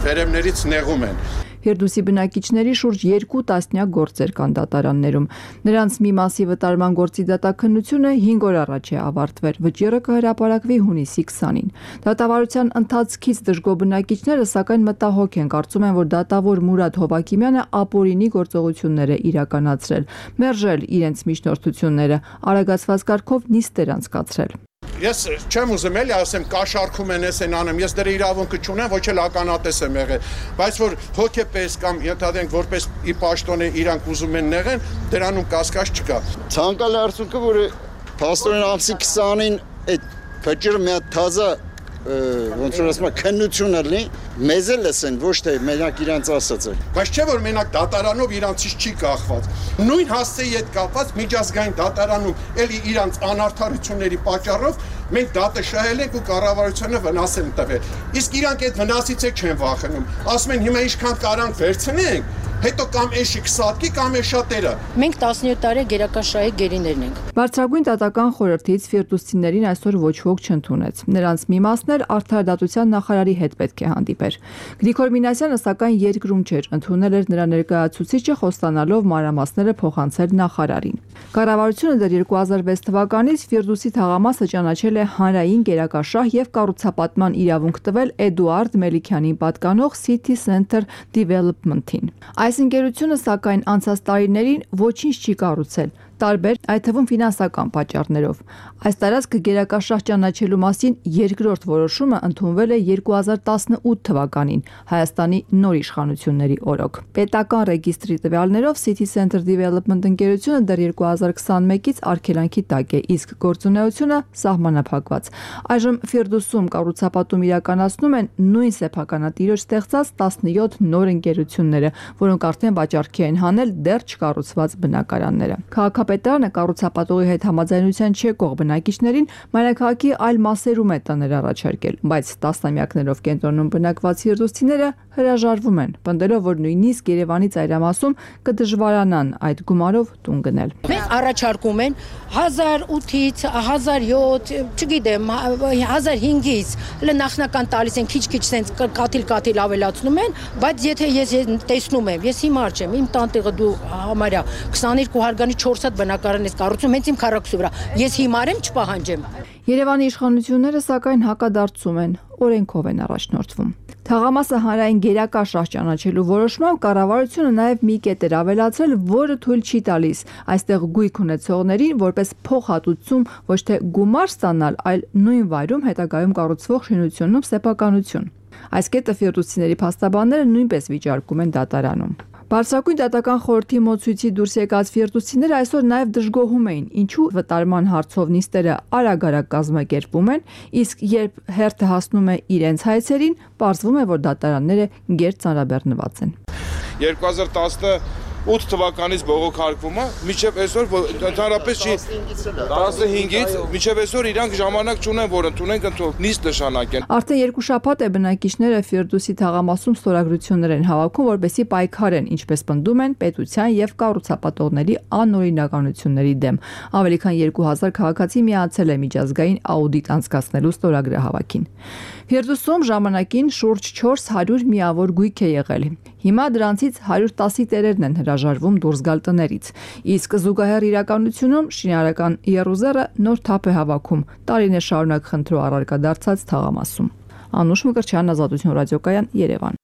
վերևներից նեղում են։ Ֆիրդուսի բնակիչների շուրջ 2 տասնյակ գործեր կան դատարաններում։ Նրանց մի մասի վտարման գործի դատաքննությունը 5 օր առաջ է ավարտվել։ Վճիռը կհրապարակվի հունիսի 20-ին։ Դատավարության ընթացքից դժգոհ բնակիչները սակայն մտահոգ են, կարծում են, որ դատավոր Մուրադ Հովակիմյանը ապօրինի գործողություններ է իրականացրել, մերժել իրենց միջնորդությունները, արագացված կարգով նիստեր անցկացրել։ Ես չեմ ուզում էլի ասեմ կաշառքում են էսեն անում, ես դրա իրավունքը չունեմ, ոչ էլ ականատես եմ եղել, բայց որ հոգեպես կամ ենթադրենք որպես ի պաշտոն է իրանք ուզում են նեղեն, դրանում կասկած չկա։ Ցանկալի արդյունքը, որ փաստորեն ամսի 20-ին այդ վճիռը մի հատ թազա ոնց որ ասում քննություն ալնի, մեզ էլ լսեն, ոչ թե մենակ իրանց ասածը։ Բայց չէ որ մենակ դատարանով իրանցից չի կախված։ Նույն հասցեի հետ կապված միջազգային դատարանում էլի իրանց անարդարությունների պատճառով մենք դատը շահել ենք ու կառավարությանը վնաս են տվել։ Իսկ իրանք այդ վնասից չեն վախենում։ Ասում են հիմա ինչքան կարանք վերցնենք, հետո կամ էշի կսատկի կամ էշատերը։ Մենք 17 տարի գերակաշահի գերիներն ենք։ Բարձրագույն դատական խորհրդից ֆիրդուսցիներին այսօր ոչ ոք չընդունեց։ Նրանց մի մասն էլ արդարադատության նախարարի հետ պետք է հանդիպեր։ Գրիգոր Մինասյանը սակայն երկրում չէր, ընդունել էր նրա ներկայացուցիչը, խոստանալով մանրամասները փոխանցել նախարարին։ Կառավարությունը դեռ 2006 թվականից Ֆիրդուսի թաղամասը ճանաչել է հանրային գերակաշահ եւ կառուցապատման իրավունք տվել Էդուարդ Մելիքյանին պատկանող City Center Development-ին։ Այս ընկերությունը սակայն անցած տարիներին ոչինչ չի կառուցել, տարբեր, այդ թվում ֆինանսական պատճառներով։ Այս տարածքը գերակաշահ ճանաչելու մասին երկրորդ որոշումը ընդունվել է 2018 թվականին Հայաստանի նոր իշխանությունների օրոք։ Պետական ռեգիստրի տվյալներով City Center Development ընկերությունը դեռ 2021-ից արգելանքի տակ է, իսկ գործունեությունը սահմանափակված։ Այժմ Ֆիրդուսում կառուցապատում իրականացնում են նույն սեփականատիրոջ ստեղծած 17 նոր ընկերությունները, որոնք արդեն վաճառքի են հանել դեռ չկառուցված բնակարանները։ Քաղաքապետարանը կառուցապատողի հետ համաձայնության չեկող բնակիչներին մայրաքաղաքի այլ մասերում է տաներ առաջարկել, բայց տասնամյակներով կենտրոնում բնակված ֆիրդուսցիները հրաժարվում են, պնդելով, որ նույնիսկ Երևանի ծայրամասում կդժվարանան այդ գումարով տուն գնել։ Մենք առաջարկում են 1008-ից 1007, չգիտեմ, 1005-ից նախնական տալիս են քիչ-քիչ sense կաթիլ ավելացնում են, բայց եթե ես տեսնում եմ, ես հիմար չեմ, իմ տանտեղը դու համարյա 22 հարգանի 4 հատ բնակարան ես կառուցում, հենց իմ քառակուսի վրա։ Ես հիմար եմ, չպահանջեմ։ Երևանի իշխանությունները սակայն հակադարձում են, օրենքով են առաջնորդվում։ Թաղամասը հանրային գերակաշահ ճանաչելու որոշմամբ կառավարությունը նաև մի կետ էր ավելացրել, որը թույլ չի տալիս այստեղ գույք ունեցողներին որպես փոխհատուցում ոչ թե գումար ստանալ, այլ նույն վայրում հետագայում կառուցվող շինությունում սեփականություն։ Այս կետը ֆիրդուսցիների փաստաբանները նույնպես վիճարկում են դատարանում։ Բարձրագույն դատական խորհրդի մոծույցի դուրս եկած ֆիրդուսցիները այսօր նաև դժգոհում էին, ինչու վտարման հարցով նիստերը արագ-արագ կազմակերպվում են, իսկ երբ հերթը հասնում է իրենց հայցերին, պարզվում է, որ դատարանները գերծ ծանրաբեռնված են։ 2018 թվականից բողոքարկումը մինչև այսօր ընդհանրապես չի 15-ից մինչև այսօր իրանք ժամանակ չունեն, որ ընդունեն նիստ նշանակեն։ Արդեն 2 շաբաթ է բնակիչները Ֆիրդուսի թաղամասում ստորագրություններ են հավաքում, որպեսզի պայքարեն, ինչպես պնդում են, պետության եւ կառուցապատողների անօրինականությունների դեմ։ Ավելի քան 2000 քաղաքացի միացել է միջազգային աուդիտ անցկացնելու ստորագրահավաքին։ Ֆիրդուսում ժամանակին շուրջ 400 միավոր գույք է եղել։ Հիմա դրանցից 110-ի տերերն են հրաժարվում դուրս գալ տներից, իսկ զուգահեռ իրականությունում շինարարական եռուզեռը նոր թափ է հավաքում տարիներ շարունակ խնդրու առարկա դարձած թաղամասում։ Անուշ Մկրտչյան, Ազատություն ռադիոկայան, Երևան։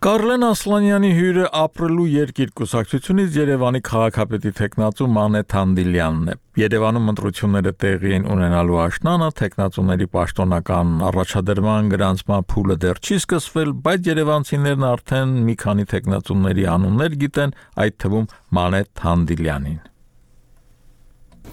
Կարլեն Ասլանյանի հյուրը ապրելու երկիր կուսակցությունից Երևանի քաղաքապետի տեխնացու Մանե Թանդիլյանն է։ Երևանում ընտրությունները տեղի են ունենալու աշնանը, տեխնացուների պաշտոնական առաջադրման գրանցման փուլը դեռ չի սկսվել, բայց երևանցիներն արդեն մի քանի տեխնացուների անուններ գիտեն, այդ թվում Մանե Թանդիլյանին։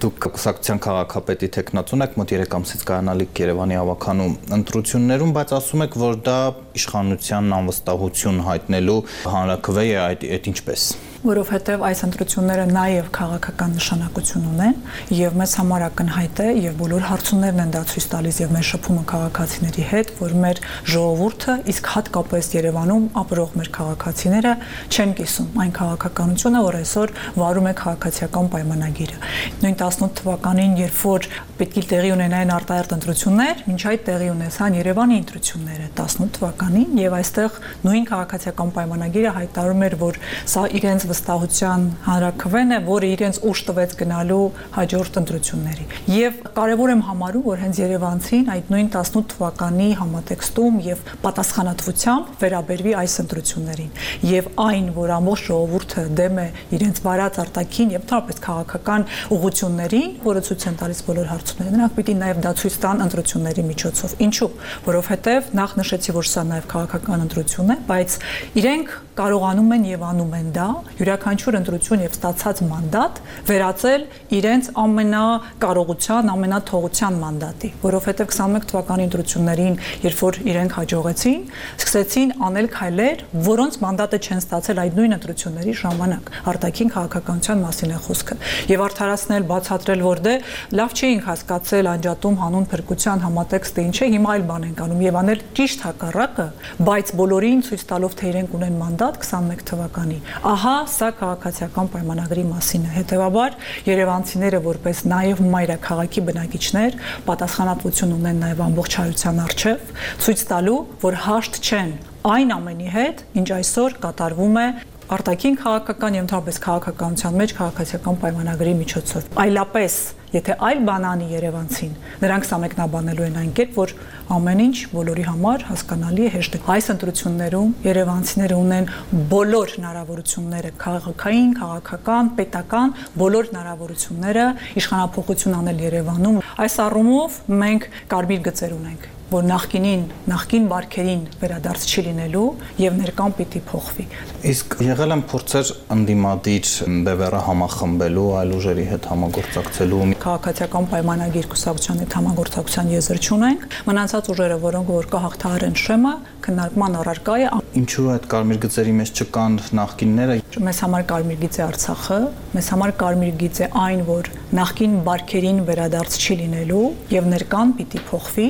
Դուք կուսակցության քաղաքապետի տեխնացուն եք, մոտ 3 ամսից կայանալիք Երևանի ավականու ընտրություններում, բայց ասում եք, որ դա իշխանության անվստահություն հայտնելու հանրաքվե է, այդ ինչպես։ որովհետև այս ընտրությունները նաև քաղաքական նշանակություն ունեն եւ մեզ համար ակնհայտ է եւ բոլոր հարցումներն են դա ցույց տալիս եւ մեր շփումը քաղաքացիների հետ, որ մեր ժողովուրդը, իսկ հատկապես Երևանում ապրող մեր քաղաքացիները չեն կիսում այն քաղաքականությունը, որ այսօր վարում է քաղաքացիական պայմանագիրը։ Նույն 18 թվականին, երբ որ պետք է տեղի ունենային արտահերթ ընտրություններ, մինչ այդ տեղի ունեցան Երևանի ընտրությունները 18 թվականին եւ այստեղ նույն քաղաքացիական պայմանագիրը հայտարարում էր, որ սա իրենց վստահության հանրաքվեն է, որը իրենց ուժ տվեց գնալու հաջորդ ընտրությունների։ Եվ կարևոր եմ համարում, որ հենց երևանցին այդ նույն 18 թվականի համատեքստում եւ պատասխանատվությամբ վերաբերվի այս ընտրություններին եւ այն, որ ամբողջ ժողովուրդը դեմ է իրենց վարած արտաքին եւ թափից քաղաքական ուղղություններին, որը ցույց են տալիս բոլոր հարցումները, նրանք պիտի նաեւ դա ցույց տան ընտրությունների միջոցով։ Ինչու՞, որովհետեւ նախ նշեցի, որ սա նաեւ քաղաքական ընտրություն է, բայց իրենք կարողանում են եւ անում են դա յուրաքանչյուր ընտրություն եւ ստացած մանդատ վերածել իրենց ամենակարողության, ամենաթողության մանդատի, որովհետեւ 21 թվականի ընտրություններին, երբ որ իրենք հաջողեցին, սկսեցին անել քայլեր, որոնց մանդատը չեն ստացել այդ նույն ընտրությունների ժամանակ։ Արտաքին քաղաքականության մասին է խոսքը եւ արդարացնել, բացատրել, որ դե լավ չէինք հասկացել անջատում հանուն փրկության համատեքստը ինչ է, հիմա այլ բան ենք անում եւ անել ճիշտ հակառակը, բայց բոլորին ցույց տալով թե իրենք ունեն մանդատ 21 թվականի։ Ահա սա քաղաքացիական պայմանագրի մասին է։ Հետևաբար երևանցիները որպես նաև մայրաքաղաքի բնակիչներ պատասխանատվություն ունեն նաև ամբողջ հայության առջև, ցույց տալու, որ հաշտ չեն այն ամենի հետ, ինչ այսօր կատարվում է արտաքին քաղաքական եւ ընդհանրապես քաղաքականության մեջ քաղաքացիական պայմանագրի միջոցով։ Այլապես, եթե այլ բան անի երևանցին, նրանք սամեկնաբանելու են այն կերպ, որ ամեն ինչ բոլորի համար հասկանալի է, հեշտ է։ Այս ընտրություններում երևանցիները ունեն բոլոր հնարավորությունները քաղաքային, քաղաքական, պետական, բոլոր հնարավորությունները իշխանափոխություն անել Երևանում։ Այս առումով մենք կարմիր գծեր ունենք, որ նախկին բարքերին վերադարձ չի լինելու եւ ներկան պիտի փոխվի։ Իսկ եղել են փորձեր ընդդիմադիր բևեռը համախմբելու, այլ ուժերի հետ համագործակցելու։ Քաղաքացիական պայմանագիր կուսակցության հետ համագործակցության եզր չունենք։ Մնացած ուժերը, որոնք որ կհաղթահարեն շեմը, քննարկման առարկա է։ Ինչու այդ կարմիր գծերի մեջ չկան նախկինները։ Մեզ համար կարմիր գիծ է Արցախը, մեզ համար կարմիր գիծ է այն, որ նախկին բարքերին վերադարձ չի լինելու եւ ներկան պիտի փոխվի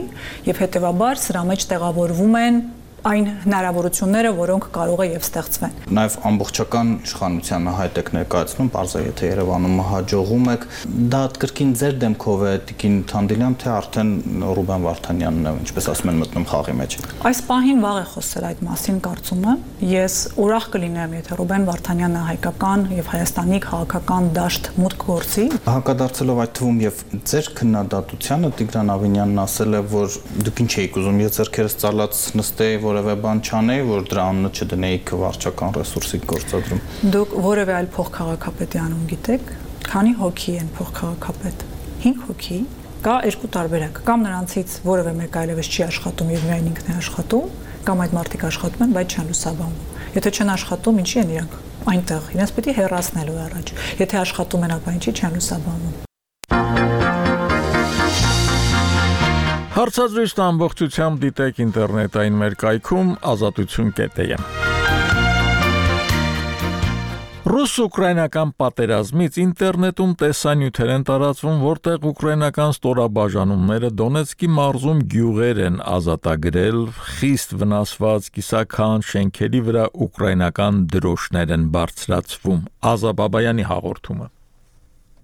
եւ հետեւաբար սրա մեջ տեղավորվում են այն հնարավորությունները, որոնք կարող է եւ ստեղծվեն։ Նաեւ ամբողջական իշխանությանը հայտ եք ներկայացնում, բարձր եթե Երևանում հաջողում եք, դա կրկին ձեր դեմքով է Տիկին Թանդիլյան, թե արդեն Ռուբեն Վարդանյանն է, ինչպես ասում են, մտնում խաղի մեջ։ Այս պահին վաղ է խոսել այդ մասին, կարծում եմ։ Ես ուրախ կլինեմ, եթե Ռուբեն Վարդանյանը հայկական եւ Հայաստանի քաղաքական դաշտ մուտք գործի։ Հակադարձելով այդ թվում եւ ձեր քննադատությանը Տիգրան Ավինյանն ասել է, որ դուք ինչ եք ուզում, ես ձեռքերս ծալած նստեի, որևէ բան չանեի, որ դրա անունը չդնեիք վարչական ռեսուրսի գործադրում։ Դուք որևէ այլ փոխքաղաքապետի անուն գիտեք, քանի հոգի են փոխքաղաքապետ։ 5 հոգի, կա երկու տարբերակ, կամ նրանցից որևէ մեկը այլևս չի աշխատում եւ միայն ինքն է աշխատում, կամ այդ մարդիկ աշխատում են, բայց չեն լուսաբանվում։ Եթե չեն աշխատում, ինչի են իրանք այնտեղ, իրենց պիտի հեռացնելու առաջ։ Եթե աշխատում են, ապա ինչի չեն լուսաբանվում։ Հարցազրույցն ամբողջությամբ դիտեք ինտերնետային մեր կայքում azatutun.am։ Ռուս-ուկրաինական պատերազմից ինտերնետում տեսանյութեր են տարածվում, որտեղ ուկրաինական ստորաբաժանումները Դոնեցկի մարզում գյուղեր են ազատագրել, խիստ վնասված կիսաքան շենքերի վրա ուկրաինական դրոշներ են բարձրացվում։ Ազա Բաբայանի հաղորդումը։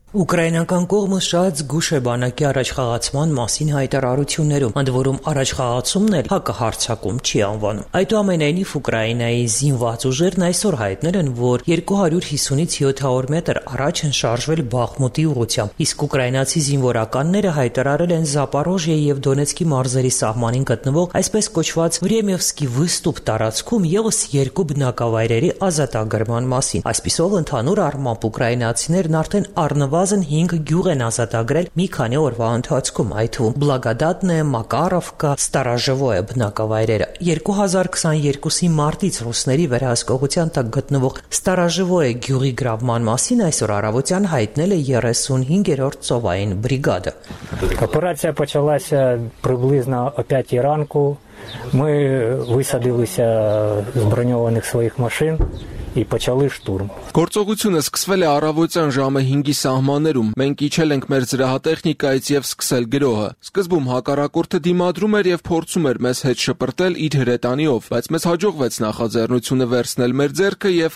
Ուկրաինական կողմը շատ զգուշ է բանակի առաջխաղացման մասին հայտարարություններում, ընդ որում առաջխաղացումն էլ հակահարձակում չի անվանում։ Այդուամենայնիվ Ուկրաինայի զինված ուժերն այսօր հայտնել են, որ 250-ից 700 մետր առաջ են շարժվել Բախմուտի ուղղությամբ, իսկ ուկրաինացի զինվորականները հայտարարել են Զապորոժիա եւ Դոնեցկի մարզերի սահմանին գտնվող այսպես կոչված Վրեմևսկի վստուպ տարածքում եւս 2 բնակավայրերի ազատագրման մասին։ Այսպիսով ընդհանուր առմամբ ուկրաինացիներն արդեն առնվազն 5 գյուղ են ազատագրել մի քանի օրվա ընթացքում, այդ թվում Բլագադատնե, Մակարովկա, Ստարաժևոյե բնակավայրերը։ 2022-ի մարտից ռուսների վերահսկողության տակ գտնվող Ստարաժևոյե գյուղի գրավման մասին այսօր առավոտյան հայտնել է 35-րդ ծովային բրիգադը։ Операція почалася приблизно о 5 ранку. Ми висадилися з броньованих своїх машин и почали штурм. Գործողությունը սկսվել է առավոտյան ժամը 5-ի սահմաններում։ Մենք իջել ենք մեր զրահատեխնիկայից եւ սկսել գրոհը։ Սկզբում հակառակորդը դիմադրում էր եւ փորձում էր մեզ հետ շպրտել իր հրետանիով, բայց մեզ հաջողվեց նախաձեռնությունը վերցնել մեր ձեռքը եւ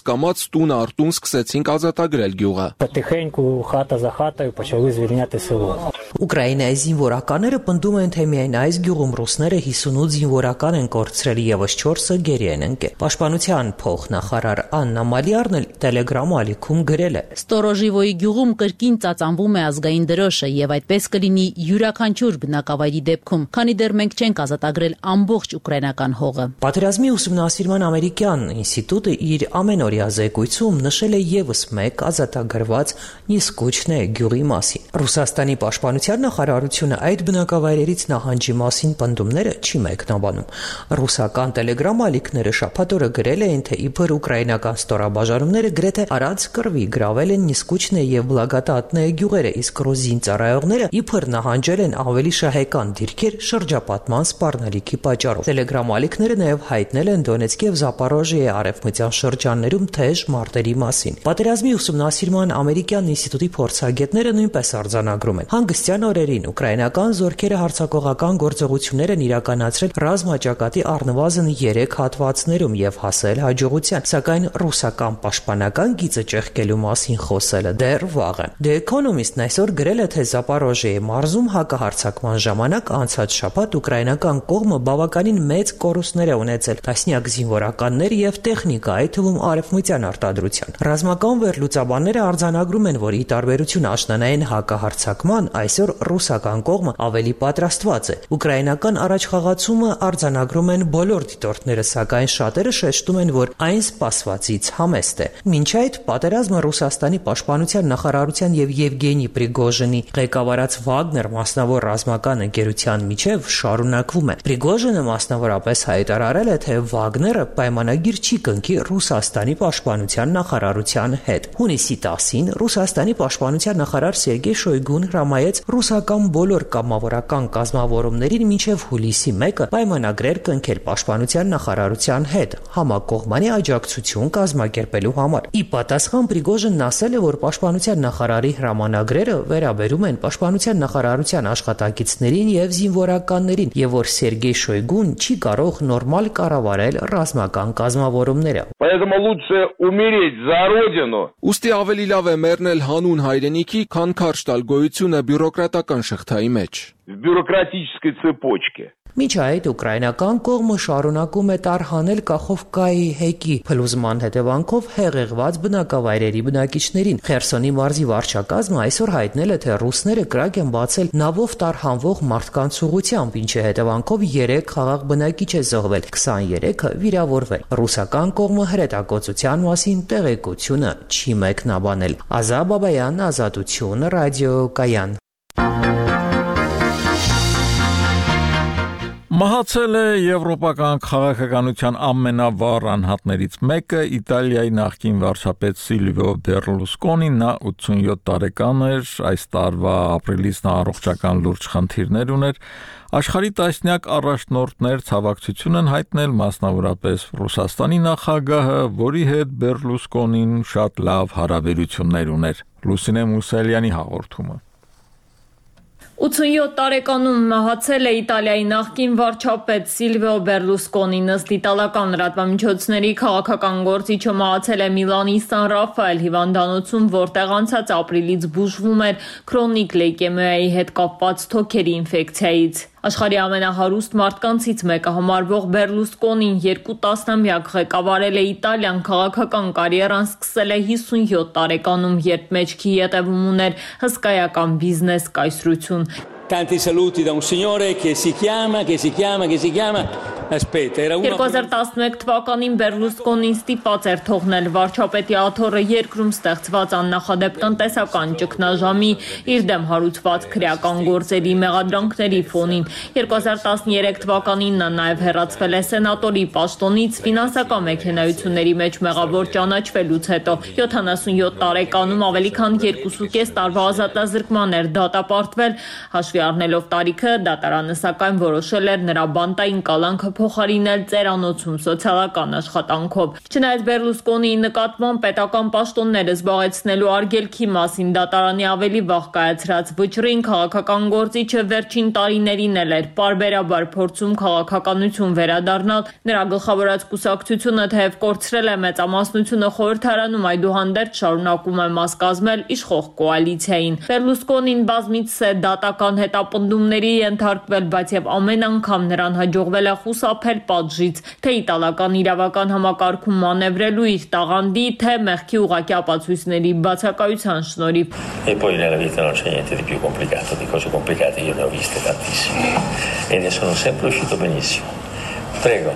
կամաց տուն առ տուն սկսեցինք ազատագրել գյուղը։ Потихеньку хата за хатою почали звільняти село. Ուկրաինայի զինվորականները պնդում են, թե միայն այս գյուղում ռուսները 58 զինվորական են կորցրել եւս 4-ը գերի են ընկել։ Պաշտպանության փոխնախարար Աննա Մալիարն էլ Telegram ալիքում գրել է. Ստորոժիվոյի գյուղում կրկին ծածանվում է ազգային դրոշը եւ այդպես կլինի յուրաքանչյուր բնակավայրի դեպքում, քանի դեռ մենք չենք ազատագրել ամբողջ ուկրաինական հողը։ Պատերազմի ուսումնասիրման ամերիկյան ինստիտուտը իր ամենօրյա զեկույցում նշել է եւս մեկ ազատագրված Նիսկուչնե գյուղի մասին։ Ռուսաստանի պաշտպանության նախարարությունը այդ բնակավայրերից նահանջի մասին պնդումները չի մեկնաբանում։ Ռուսական Telegram ալիքները շաբաթ օրը գրել էին, թե իբր ուկրաինական ստորաբաժանումները գրեթե առանց կռվի գրավել են Նիսկուչնե եւ Բլագատատնե գյուղերը, իսկ ռուզին ծառայողները իբր նահանջել են ավելի շահեկան դիրքեր շրջապատման սպառնալիքի պատճառով։ Telegram ալիքները նաեւ հայտնել են Դոնեցկ եւ Զապորոժիայի արևմտյան շրջաններում թեժ մարտերի մասին։ Պատերազմի ուսումնասիրման ամերիկյան ինստիտուտի փորձագետները նույնպես արձանագրում են։ Հանգստյան օրերին ուկրաինական զորքերը հարձակողական գործողություններ են իրականացրել ռազմաճակատի առնվազն 3 հատվածներում եւ հասել հաջողության, սակայն ռուսական պաշտպանական գիծը ճեղքելու մասին խոսելը դեռ վաղ է։ The Economist-ն այսօր գրել է, թե Զապորոժիայի մարզում հակահարձակման ժամանակ անցած շաբաթ ուկրաինական կողմը բավականին մեծ կորուստներ է ունեցել տասնյակ զինվորականներ եւ տեխնիկա, այդ թվում արևմտյան արտադրության։ Ռազմական վերլուծաբանները արձանագրում են, որ ի տարբերություն աշնանային հակահարձակման այսօր ռուսական կողմը ավելի պատրաստված է։ Ուկրաինական առաջխաղացումը արձանագրում են բոլոր դիտորդները, սակայն շատերը շեշտում են, որ այն սպասվածից համեստ է։ Մինչ այդ պատերազմը Ռուսաստանի պաշտպանության նախարարության եւ Եվգենի Պրիգոժինի ղեկավարած Վագներ մասնավոր ռազմական ընկերության միջև շարունակվում է։ Պրիգոժինը մասնավորապես հայտարարել է, թե Վագները պայմանագիր չի կնքի Ռուսաստանի պաշտպանության նախարարության հետ։ Հունիսի 10-ին Ռուսաստանի պաշտպանության նախարար Սերգեյ Շոյգուն հրամայեց ռուսական բոլոր կամավորական կազմավորումներին մինչև հուլիսի 1-ը պայմանագրեր կնքել պաշտպանության նախարարության հետ համակողմանի աջակցություն կազմակերպելու համար։ Ի պատասխան Պրիգոժինն ասել է, որ պաշտպանության նախարարի հրամանագրերը վերաբերում են պաշտպանության նախարարության աշխատակիցներին եւ զինվորականներին, եւ որ Սերգեյ Շոյգուն չի կարող նորմալ կառավարել ռազմական կազմավորումները։ Поэтому лучше умереть за родину. Ուստի ավելի լավ է մեռնել հանուն հայրենիքի, քան քարշ տալ գոյությունը բյուրոկրատական շղթայի մեջ։ В бюрократической цепочке. Մինչ այդ ուկրաինական կողմը շարունակում է տարհանել Կախովկայի հեկի փլուզման հետևանքով հեղեղված բնակավայրերի բնակիչներին։ Խերսոնի մարզի վարչակազմը այսօր հայտնել է, թե ռուսները կրակ են բացել նավով տարհանվող մարդկանց ուղղությամբ, ինչի հետևանքով 3 խաղաղ բնակիչ է զոհվել, 23-ը վիրավորվել։ Ռուսական կողմը հրետակոծության մասին տեղեկությունը չի մեկնաբանել։ Ազա Բաբայան, Ազատություն, ռադիոկայան։ Մահացել է եվրոպական քաղաքականության ամենավառ անհատներից մեկը, Իտալիայի նախկին վարչապետ Սիլվիո Բերլուսկոնին, նա 87 տարեկան էր, այս տարվա ապրիլից նա առողջական լուրջ խնդիրներ ուներ, աշխարհի տասնյակ առաջնորդներ ցավակցություն են հայտնել, մասնավորապես Ռուսաստանի նախագահը, որի հետ Բերլուսկոնին շատ լավ հարաբերություններ ուներ։ Լուսինե Մուսելյանի հաղորդումը։ 87 տարեկանում մահացել է Իտալիայի նախկին վարչապետ Սիլվիո Բերլուսկոնին, ըստ իտալական լրատվամիջոցների քաղաքական գործիչը մահացել է Միլանի Սան Ռաֆայել հիվանդանոցում, որտեղ անցած ապրիլից բուժվում էր քրոնիկ լեյկեմիայի հետ կապված թոքերի ինֆեկցիայից։ Աշխարհի ամենահարուստ մարդկանցից մեկը համարվող Բերլուսկոնին 2 տասնամյակ ղեկավարել է Իտալիան, քաղաքական կարիերան սկսել է 57 տարեկանում, երբ մեջքի ետևում ուներ հսկայական բիզնես կայսրություն։ Tanti saluti da un signore che si chiama Aspetta, era uno 2011 թվականին Բերլուսկոնին ստիպված էր թողնել վարչապետի աթոռը երկրում ստեղծված աննախադեպ տնտեսական ճգնաժամի իր դեմ հարուցված քրեական գործերի մեղադրանքների ֆոնին։ 2013 թվականին նա նաև հեռացվել է սենատորի պաշտոնից ֆինանսական մեքենայությունների մեջ մեղավոր ճանաչվելուց հետո։ 77 տարեկանում ավելի քան 2.5 տարվա ազատազրկման էր դատապարտվել, հաշվի առնելով տարիքը, դատարանը սակայն որոշել էր նրա բանտային կալանքը փոխարինել ծերանոցում սոցիալական աշխատանքով։ Չնայած Բերլուսկոնիի նկատմամբ պետական պաշտոնները զբաղեցնելու արգելքի մասին դատարանի ավելի վաղ կայացրած վճռին քաղաքական գործիչը վերջին տարիներին էր պարբերաբար փորձում քաղաքականություն վերադառնալ։ Նրա գլխավորած կուսակցությունը թեև կորցրել է մեծամասնությունը խորհրդարանում, այդուհանդերձ շարունակում է մաս կազմել իշխող կոալիցիային։ Բերլուսկոնին բազմիցս է դատական հետապնդումների ենթարկվել, բայց եւ ամեն անգամ նրան հաջողվել է խուսափել պատժից, թե իտալական իրավական համակարգում մանևրելու իր տաղանդի, թե մեղքի ուղղակի ապացույցների բացակայության շնորհիվ։ E poi nella vita non c'è niente di più complicato, di cose complicate io ne ho viste tantissime e ne sono sempre uscito benissimo. Prego.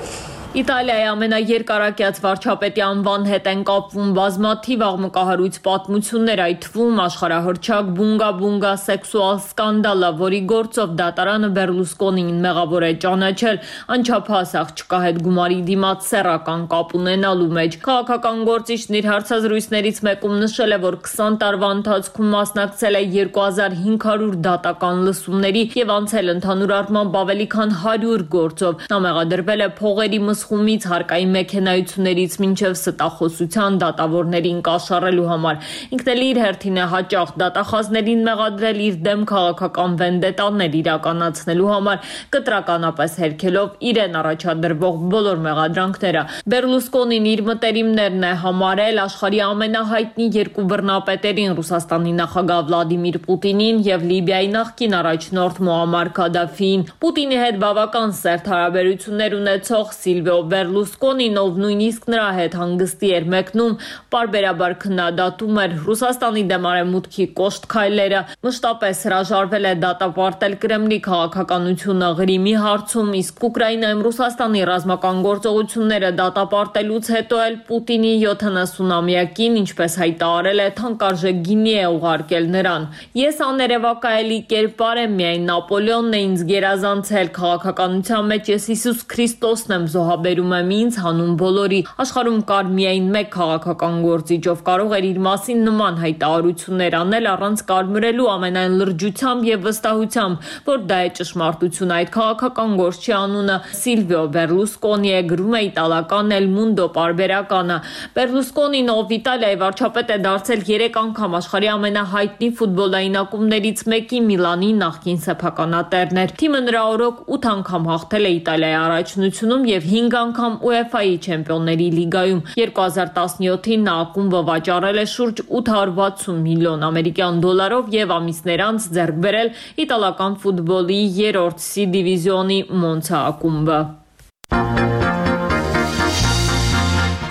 Իտալիայի ամենաերկարակյաց վարչապետի անվան հետ են կապվում բազմաթիվ աղմկահարույց պատմություններ, այդ թվում աշխարհահռչակ բունգա սեքսուալ սկանդալը, որի գործով դատարանը Բերլուսկոնին մեղավոր է ճանաչել անչափահաս աղջկա հետ գումարի դիմաց սեռական կապ ունենալու մեջ։ Քաղաքական գործիչն իր հարցազրույցներից մեկում նշել է, որ 20 տարվա ընթացքում մասնակցել է 2500 դատական լսումների եւ անցել ընդհանուր առմամբ ավելի քան 100 գործով։ Նա մեղադրվել է փողերի խումից հարկային մեքենայություններից մինչև ստախոսության դատավորներին կաշառելու համար։ Ինքն էլ իր հերթին է հաճախ դատախազներին մեղադրել իր դեմ քաղաքական վենդետաներ իրականացնելու համար, կտրականապես հերքելով իրեն առաջադրվող բոլոր մեղադրանքները։ Բերլուսկոնին իր մտերիմներն է համարել աշխարհի ամենահայտնի երկու բռնապետերին՝ Ռուսաստանի նախագահ Վլադիմիր Պուտինին եւ Լիբիայի նախկին առաջնորդ Մուամմար Քադաֆիին։ Պուտինի հետ բավական սերտ հարաբերություններ ունեցող Սիլվիո Բերլուսկոնին, ով նույնիսկ նրա հետ հանգստի էր մեկնում, պարբերաբար քննադատում էր Ռուսաստանի դեմ արևմուտքի կոշտ քայլերը, մշտապես հրաժարվել է դատապարտել Կրեմլի քաղաքականությունը Ղրիմի հարցում, իսկ Ուկրաինայում Ռուսաստանի ռազմական գործողությունները դատապարտելուց հետո էլ Պուտինի 70-ամյակին, ինչպես հայտարարել է, թանկարժեք գինի է ուղարկել նրան։ Ես աներևակայելի կերպար եմ, միայն Նապոլեոնն է ինձ գերազանցել, քաղաքականության մեջ ես Հիսուս Քրիստոսն եմ զոհաբերում եմ ինձ հանուն բոլորի։ Աշխարհում կար միայն մեկ քաղաքական գործիչ, ով կարող էր իր մասին նման հայտարարություններ անել առանց կարմրելու ամենայն լրջությամբ եւ վստահությամբ, որ դա է ճշմարտությունը։ Այդ քաղաքական գործչի անունը Սիլվիո Բերլուսկոնի է, գրում է իտալական El Mundo պարբերականը։ Բերլուսկոնին, ով Իտալիայի վարչապետ է դարձել 3 անգամ, աշխարհի ամենահայտնի ֆուտբոլային ակումբներից մեկի Միլանի նախկին սեփականատերն էր։ Թիմը նրա օրոք 8 անգամ հաղթել է Իտալիայի առաջնությունում եւ 5 անգամ UEFA-ի Չեմպիոնների լիգայում։ 2017-ին նա ակումբը վաճառել է շուրջ 860 միլիոն ամերիկյան դոլարով եւ ամիսներ անց ձեռք բերել իտալական ֆուտբոլի 3-րդ C դիվիզիոնի Մոնցա ակումբը։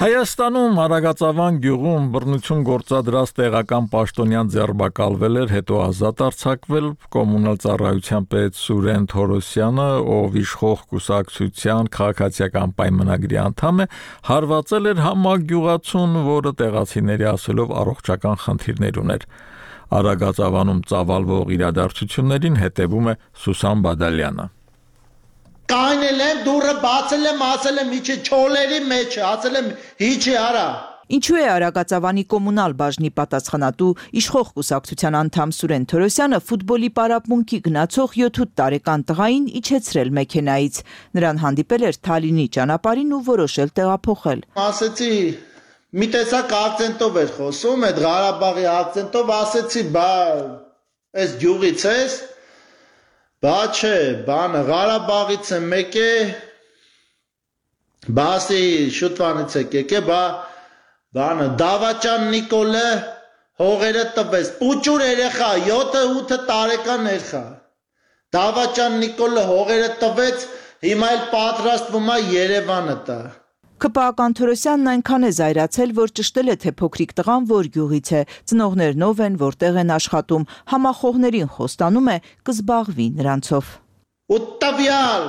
Հայաստանում Արագածավան գյուղում բռնություն գործադրած տեղական պաշտոնյան ձերբակալվել էր, հետո ազատ արձակվել կոմունալ ծառայության պետ Սուրեն Թորոսյանը, ով իշխող կուսակցության քաղաքացիական պայմանագրի անդամ է, հարվածել էր համագյուղացուն, որը տեղացիների ասելով առողջական խնդիրներ ուներ։ Արագածավանում ծավալվող իրադարձություններին հետևում է Սուսան Բադալյանը։ Կանել եմ դուրը բացել եմ, ասել եմ իջի չոլերի մեջ, ասել եմ իջի արա։ Ինչու է Արագածավանի կոմունալ բաժնի պատասխանատու իշխող կուսակցության անդամ Սուրեն Թորոսյանը ֆուտբոլի պարապմունքի գնացող 7-8 տարեկան տղային իջեցրել մեքենայից։ Նրան հանդիպել էր Թալինի ճանապարհին ու որոշել տեղափոխել։ Ասեցի մի տեսակ ակցենտով էր խոսում, այդ Ղարաբաղի ակցենտով, ասեցի բա այս գյուղից ես։ Բա չէ, բանը Ղարաբաղից է մեկ է, բասի շուտվանից է եկե, բանը Դավաճան Նիկոլը հողերը տվեց, պուճուր երեխա, 7-8 տարեկան երեխա, Դավաճան Նիկոլը հողերը տվեց, հիմա էլ պատրաստվում է Երևանը տա։ ԿՊԱ-ական Թորոսյանն այնքան է զայրացել, որ ճշտել է, թե փոքրիկ տղան որ գյուղից է, ծնողներն ով են, որտեղ են աշխատում, համախոհներին խոստանում է կզբաղվի նրանցով։ Ուտավյալ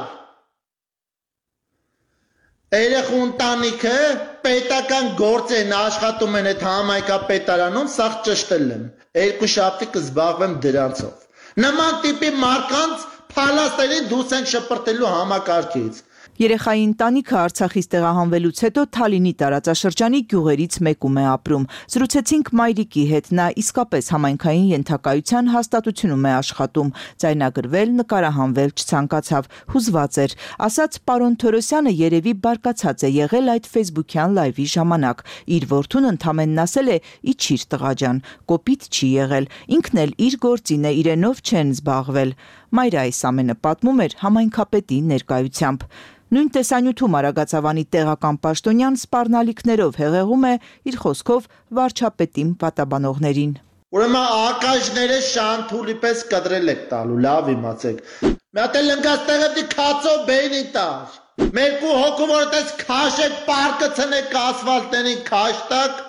երեխու ընտանիքը պետական գործ են աշխատում են այդ համայնքապետարանում, սաղ ճշտել եմ, 2 շաբթի կզբաղվեմ դրանցով։ Նման տիպի մարկանց փալաստերին դուրս ենք շպրտելու համակարգից։ Երեխայի ընտանիքը Արցախից տեղահանվելուց հետո Թալինի տարածաշրջանի գյուղերից մեկում է ապրում։ Զրուցեցինք մայրիկի հետ, նա իսկապես համայնքային ենթակայության հաստատությունում է աշխատում, ձայնագրվել, նկարահանվել չցանկացավ, հուզված էր, ասաց պարոն Թորոսյանը երևի բարկացած է եղել այդ ֆեյսբուքյան լայվի ժամանակ, իր որդուն ընդամենն ասել է իջիր տղա ջան, կոպիտ չի եղել, ինքն էլ իր գործին է, իրենով չեն զբաղվել։ Մայրը այս ամենը պատմում էր համայնքապետի ներկայությամբ։ Նույն տեսանյութում Արագածավանի տեղական պաշտոնյան սպառնալիքներով հեղեղում է իր խոսքով վարչապետին պատաբանողներին։ Ուրեմն ակաժները շանթուլի պես կտրել եք տալու, լավ իմացեք։ Մի հատ էլ ընկած տեղը դի քացո բեյնի տար։ Մերկու հոգու որտես քաշեք, պարկը ցնեք ասֆալտներին քաշտակ,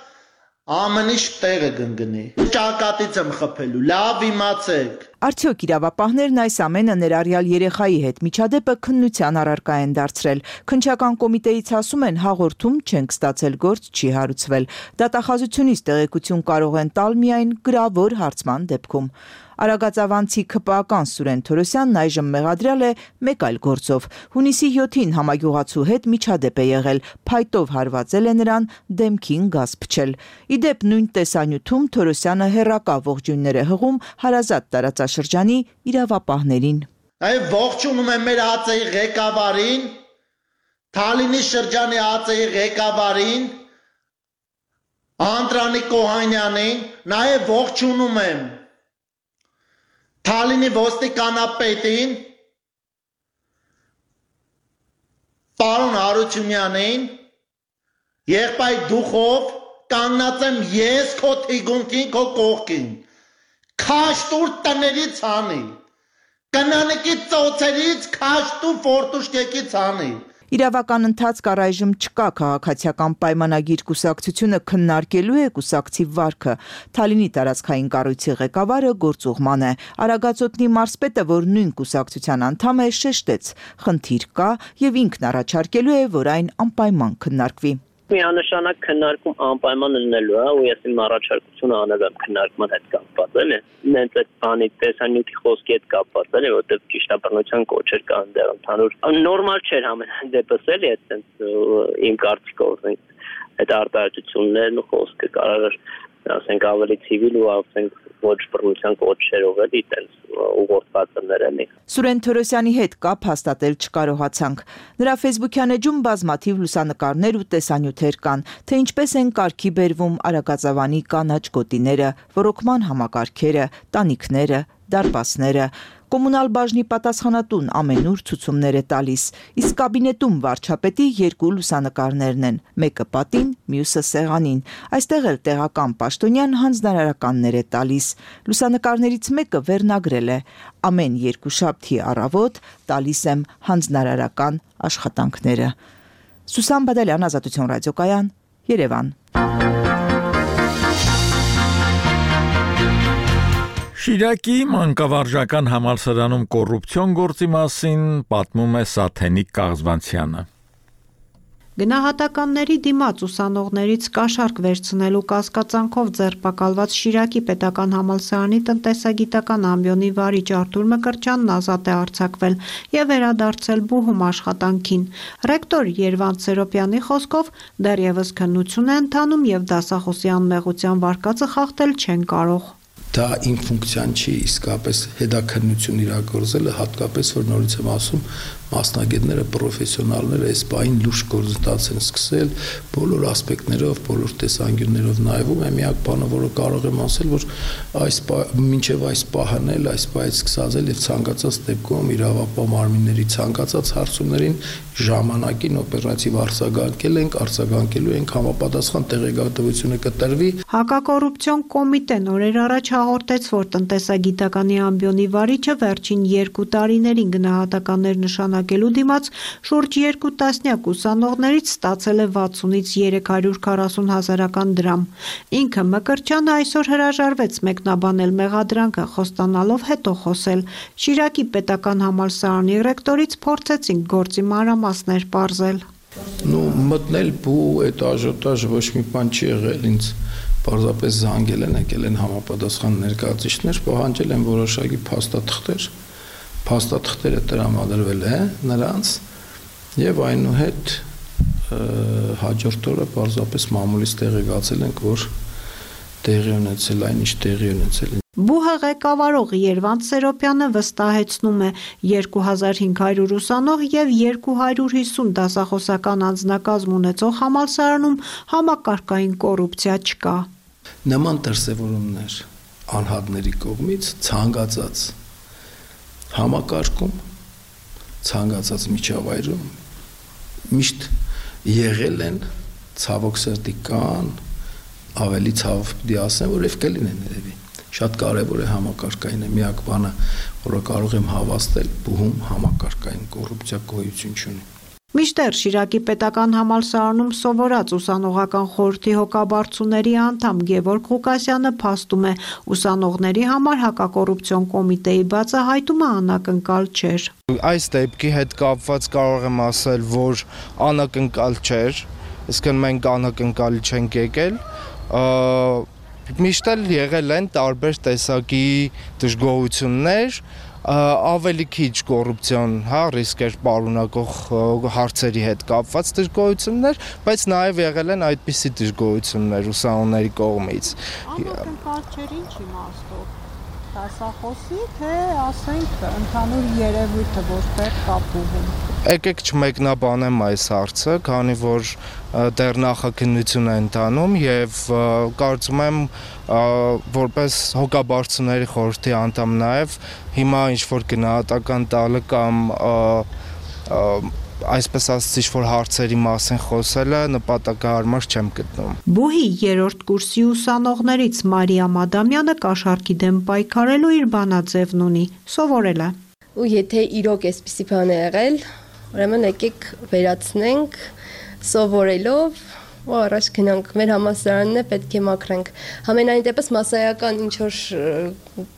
ամենիշ տեղը գնգնի։ Ճակատից եմ խփելու, լավ իմացեք։ Արդյոք իրավապահներն այս ամենը ներառյալ երեխայի հետ միջադեպը քննության առարկա են դարձրել։ Քննչական կոմիտեից ասում են հաղորդում չենք ստացել, գործ չի հարուցվել։ Դատախազությունից տեղեկություն կարող են տալ միայն գրավոր հարցման դեպքում։ Արագածավանցի ՔՊԱ-ական Սուրեն Թորոսյանն այժմ մեղադրյալ է մեկ այլ գործով։ Հունիսի 7-ին համագյուղացու հետ միջադեպ է եղել, փայտով հարվածել է նրան, դեմքին գազ փչել։ Իդեպ նույն տեսանյութում Թորոսյանը հերրակա ողջույններ է հղում հարազատ տարածաշրջանի իրավապահներին։ Այ ողջունում եմ մեր ԱԾ-ի ղեկավարին, Թալինի շրջանի ԱԾ-ի ղեկավարին, Անդրանիկ Օհանյանին, նաև ողջունում եմ Թալինի ոստիկանապետին, պարոն Հարությունյանին, եղբայր դուխով կանգնած եմ ես քո թիկունքին, քո կողքին, քաշտուր տներից հանի, կնանիկի ծոցերից քաշտու ֆորտուշկեկից հանի։ Իրավական ընթացք առայժմ չկա, քաղաքացիական պայմանագիր կուսակցությունը քննարկելու է կուսակցի վարքը։ Թալինի տարածքային կառույցի ղեկավարը գործուղման է։ Արագածոտնի մարզպետը, որ նույն կուսակցության անդամ է, շեշտեց. խնդիր կա եւ ինքն առաջարկելու է, որ այն անպայման քննարկվի։ Միանշանակ քննարկում անպայման լինելու է, ու ես իմ առաջարկությունը անել եմ քննարկման հետ կապված, էլի։ Նենց այդ բանի տեսանյութի խոսքի հետ կապված, էլի, որտեղ ճիշտ բռնության կոչեր կան դեռ ընդհանուր։ Նորմալ չէր ամեն դեպս, էլի, այդպես իմ կարծիքով այդ արտահայտություններն ու խոսքը կարող ասենք ավելի ցիվիլ ու ասենք ոչ բռնության կոչերով էլի այդպես ուղղորդվածներ էլի։ Սուրեն Թորոսյանի հետ կապ հաստատել չկարողացանք։ Նրա ֆեյսբուքյան էջում բազմաթիվ լուսանկարներ ու տեսանյութեր կան, թե ինչպես են կարգի բերվում Արագածավանի կանաչ գոտիները, ոռոգման համակարգերը, տանիքները, դարպասները։ Կոմունալ բաժնի պատասխանատուն ամենուր ցուցումներ է տալիս, իսկ կաբինետում վարչապետի երկու լուսանկարներն են, մեկը պատին, մյուսը սեղանին։ Այստեղ էլ տեղական պաշտոնյան հանձնարարականներ է տալիս։ Լուսանկարներից մեկը վերնագրել է. ամեն երկուշաբթի առավոտ տալիս եմ հանձնարարական աշխատանքները։ Սուսան Բադալյան, Ազատություն ռադիոկայան, Երևան։ Շիրակի մանկավարժական համալսարանում կոռուպցիոն գործի մասին պատմում է Սաթենիկ Կաղզվանցյանը։ Գնահատականների դիմաց ուսանողներից կաշառք վերցնելու կասկածանքով ձերբակալված Շիրակի պետական համալսարանի տնտեսագիտական ամբիոնի վարիչ Արթուր Մկրտչյանն ազատ է արձակվել եւ վերադարձել բուհում աշխատանքին։ Ռեկտոր Երվանդ Սերոպյանի խոսքով դեռևս քննություն է ընթանում եւ դասախոսի անմեղության վարկածը խախտել չեն կարող։ Դա իմ ֆունկցիան չի, իսկապես հետաքննություն իրագործելը, հատկապես որ նորից եմ ասում, մասնագետները, պրոֆեսիոնալները այս բային լուրջ գործընթաց են սկսել, բոլոր ասպեկտներով, բոլոր տեսանկյուններով նայվում է, միակ բանը, որը կարող եմ ասել, որ մինչև այս պահն էլ, այս պահից սկսած էլ եւ ցանկացած դեպքում իրավապահ մարմինների ցանկացած հարցումներին ժամանակին օպերատիվ արձագանքելու ենք համապատասխան տեղեկատվությունը կտրվի։ Հակակոռուպցիոն կոմիտեն օրեր առաջ հաղորդեց, որ տնտեսագիտականի ամբիոնի վարիչը վերջին 2 տարիներին գնահատականներ նշանակելու դիմաց շուրջ 2 տասնյակ ուսանողներից ստացել է 60-ից 340 հազարական դրամ։ Ինքը Մկրտչյանը այսօր հրաժարվեց մեկնաբանել մեղադրանքը, խոստանալով հետո խոսել։ Շիրակի պետական համալսարանի ռեկտորից փորձեցինք գործի մանրամասներ պարզել։ Մտնել բու այդ աժոտաժ ոչ մի բան չի եղել, ինձ պարզապես զանգել են, եկել են համապատասխան ներկայացուցիչներ, պահանջել են որոշակի փաստաթղթեր, փաստաթղթերը տրամադրվել է նրանց Եվ այնուհետ հաջորդ օրը պարզապես մամուլից տեղեկացել ենք, որ տեղի ունեցել այն, ինչ տեղի ունեցել։ ԲՈՒՀ ղեկավարող Երվանդ Սերոպյանը վստահեցնում է 2500 ուսանող եւ 250 դասախոսական անձնակազմ ունեցող համալսարանում համակարգային կոռուպցիա չկա։ Նման դրսևորումներ անհատների կողմից ցանկացած համակարգում, ցանկացած միջավայրում միշտ եղել են, ցավոք սրտի կան, ավելի ցավ պիտի ասեմ, որ եւ կլինեն երևի։ Շատ կարևոր է համակարգային միակ բանը, որը կարող եմ հավաստել, ԲՈՒՀ-ում համակարգային կոռուպցիա գոյություն չունի։ Մինչդեռ Շիրակի պետական համալսարանում սովորած ուսանողական խորհրդի հոգաբարձուների անդամ Գևորգ Ղուկասյանը փաստում է, ուսանողների համար հակակոռուպցիոն կոմիտեի բացահայտումը անակնկալ չէր։ Այս դեպքի հետ կապված կարող եմ ասել, որ անակնկալ չէր, իսկ մենք անակնկալի չենք եկել, միշտ էլ եղել են տարբեր տեսակի դժգոհություններ, ավելի քիչ կոռուպցիոն, ռիսկ էր պարունակող հարցերի հետ կապված դժգոհություններ, բայց նաև եղել են այդպիսի դժգոհություններ ուսանողների կողմից։ Անակնկալ չէր ինչ իմաստով, դասախոսի, թե ասենք ընդհանուր երևույթը, որտեղ կա ԲՈՒՀ-ում։ Եկեք չմեկնաբանեմ այս հարցը, քանի որ դեռ նախաքննություն է ընթանում եւ կարծում եմ որպես հոգաբարձուների խորհրդի անդամ նաեւ հիմա ինչ որ գնահատական տալը կամ այսպես ասած ինչ-որ հարցերի մասին խոսելը նպատակահարմար չեմ գտնում։ ԲՈՒՀ-ի երրորդ կուրսի ուսանողներից Մարիա Մադամյանը կաշառքի դեմ պայքարելու իր բանաձևն ունի, սովորել է։ Ու եթե իրոք էսպիսի բան է եղել, ուրեմն եկեք վերացնենք սովորելով ու առաջ գնանք, մեր համալսարանն է պետք է մաքրենք։ Համենայն դեպս մասսայական ինչ-որ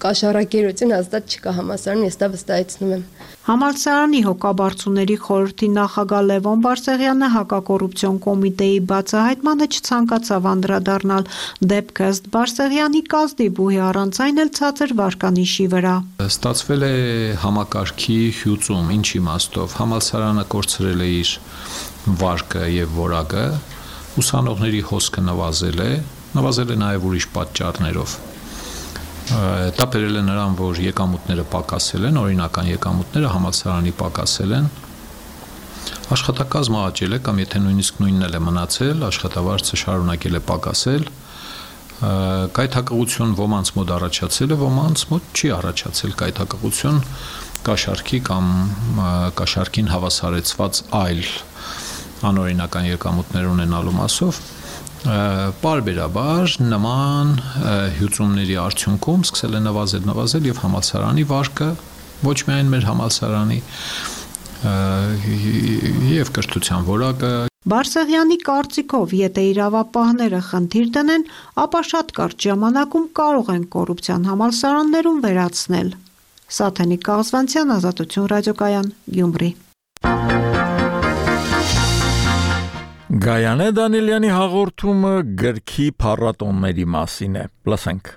կաշառակերություն հաստատ չկա համալսարանում, ես դա վստահեցնում եմ։ Համալսարանի հոգաբարձուների խորհրդի նախագահ Լևոն Բարսեղյանը հակակոռուպցիոն կոմիտեի բացահայտմանը չցանկացավ անդրադառնալ, դեպքը ըստ Բարսեղյանի կազդի ԲՈՒՀ-ի առանց այն էլ ցածր վարկանիշի վրա։ Ստացվել է համակարգի հյուծում, ինչ իմաստով, համալսարանը կորցրել է իր վարկը եւ որակը, ուսանողների հոսքը նվազել է նաև ուրիշ պատճառներով։ Դա բերել է նրան, որ եկամուտները պակասել են, օրինական եկամուտները համալսարանի պակասել են, աշխատակազմը աճել է կամ եթե նույնիսկ նույնն էլ է մնացել, աշխատավարձը շարունակել է պակասել, կայթակղություն ոմանց մոտ առաջացել է, ոմանց մոտ չի առաջացել կայթակղություն կաշառքի կամ կաշառքին հավասարեցված այլ անօրինական եկամուտներ ունենալու մասով պարբերաբար նման հյուծումների արդյունքում սկսել է նվազել եւ համալսարանի վարկը ոչ միայն մեր համալսարանի եւ կրթության որակը Բարսեղյանի կարծիքով, եթե իրավապահները խնդիր դնեն, ապա շատ կարճ ժամանակում կարող են կոռուպցիան համալսարաններում վերացնել։ Սաթենիկ Կաղզվանցյան, Ազատություն ռադիոկայան, Գյումրի։ Գայանե Դանիելյանի հաղորդումը գրքի փառատոնների մասին է։ Լսենք։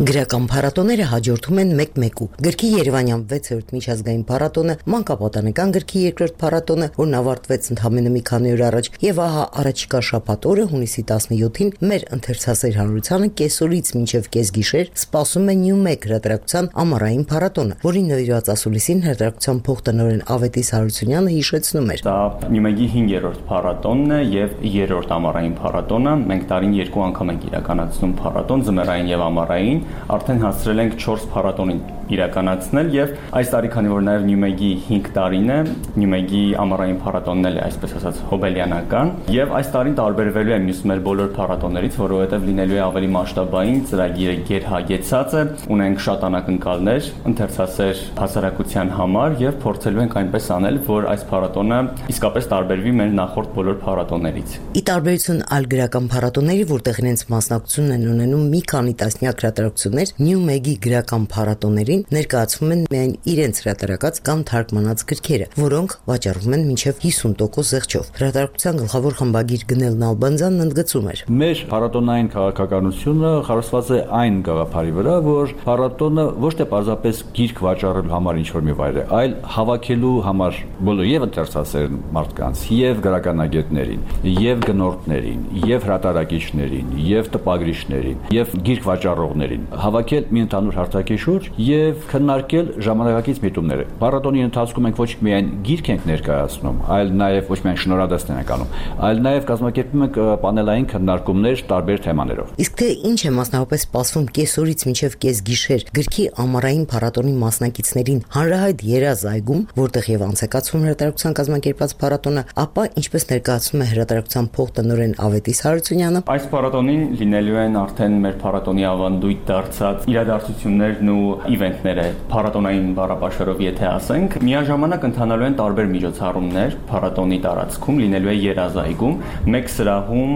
Գրական փառատոները հաջորդում են մեկ-մեկու։ Գրքի Երևանյան 6-րդ միջազգային փառատոնը, մանկապատանեկան գրքի երկրորդ փառատոնը, որն ավարտվեց ընդամենը մի քանի օր առաջ, եւ ահա առաջիկա շաբաթ օրը հունիսի 17-ին մեր ընթերցասեր հանրությանը կեսօրից մինչև կեսգիշեր սպասում է Նյումեգ հրատարակության ամառային փառատոնը, որին նվիրված ասուլիսին հրատարակության փոխտնօրեն Ավետիս Հարությունյանը հիշեցնում էր. Դա Նյումեգի 5-րդ փառատոնն է եւ 3-րդ ամառային փառատոնը։ Մենք տարին 2 անգամ ենք իրականացնում փառատոն, ձմեռային եւ ամառային։ Արդեն հասցրել ենք 4 փառատոնին իրականացնել եւ այս տարի, քանի որ նաեւ Նյումեգի 5 տարին է, Նյումեգի ամառային փառատոնն էլ է, այսպես ասած, հոբելյանական եւ այս տարին տարբերվելու է մյուս մեր բոլոր փառատոններից, որովհետեւ լինելու է ավելի մասշտաբային, ծրագիրը գերհագեցած է, ունենք շատ անակնկալներ ընթերցասեր հասարակության համար եւ փորձելու ենք այնպես անել, որ այս փառատոնը իսկապես տարբերվի մեր նախորդ բոլոր փառատոններից։ Ի տարբերություն այլ գրական փառատոնների, որտեղ իրենց մասնակցությունն են ունենում մի քանի տասնյակ հրատարակություններ, Նյումեգի գրական փառատոներին փառատոնին ներկայացվում են միայն իրենց հրատարակած կամ թարգմանած գրքերը, որոնք վաճառվում են մինչև 50% զեղչով։ Հրատարակության գլխավոր խմբագիր Գնել Նալբանդյանն ընդգծում էր. Մեր փառատոնային քաղաքականությունը խարսված է այն գաղափարի վրա, որ փառատոնը ոչ թե պարզապես գիրք վաճառելու համար ինչ-որ մի վայր է, այլ հավաքելու համար բոլոր եւ ընթերցասեր մարդկանց, եւ գրականագետներին, եւ գնորդներին, եւ հրատարակիչներին, եւ տպագրիչներին, եւ գիրք վաճառողներին հավաքել մի ընդհանուր հարթակի շուրջ եւ քննարկել ժամանակակից միտումները։ Փառատոնի ընթացքում մենք ոչ միայն գիրք ենք ներկայացնում, այլ նաեւ ոչ միայն շնորհադասներ ենք անում, այլ նաեւ կազմակերպում ենք պանելային քննարկումներ տարբեր թեմաներով։ Իսկ թե ինչ է մասնավորապես սպասվում կեսօրից մինչև կեսգիշեր գրքի ամառային փառատոնի մասնակիցներին հանրահայտ Երազ այգում, որտեղ եւ անցեկացվում հրատարակության կազմակերպած փառատոնը, ապա ինչպես ներկայացնում է հրատարակության փոխտնօրեն Ավետիս Հարությունյանը, այս փառատոնին լինելու են արդեն մեր փառատոնի ավանդույթ դարձած իրադարձություններն ու իվենտները, փառատոնային բառապաշարով եթե ասենք, միաժամանակ ընթանալու են տարբեր միջոցառումներ փառատոնի տարածքում, լինելու է Երազ այգում, մեկ սրահում,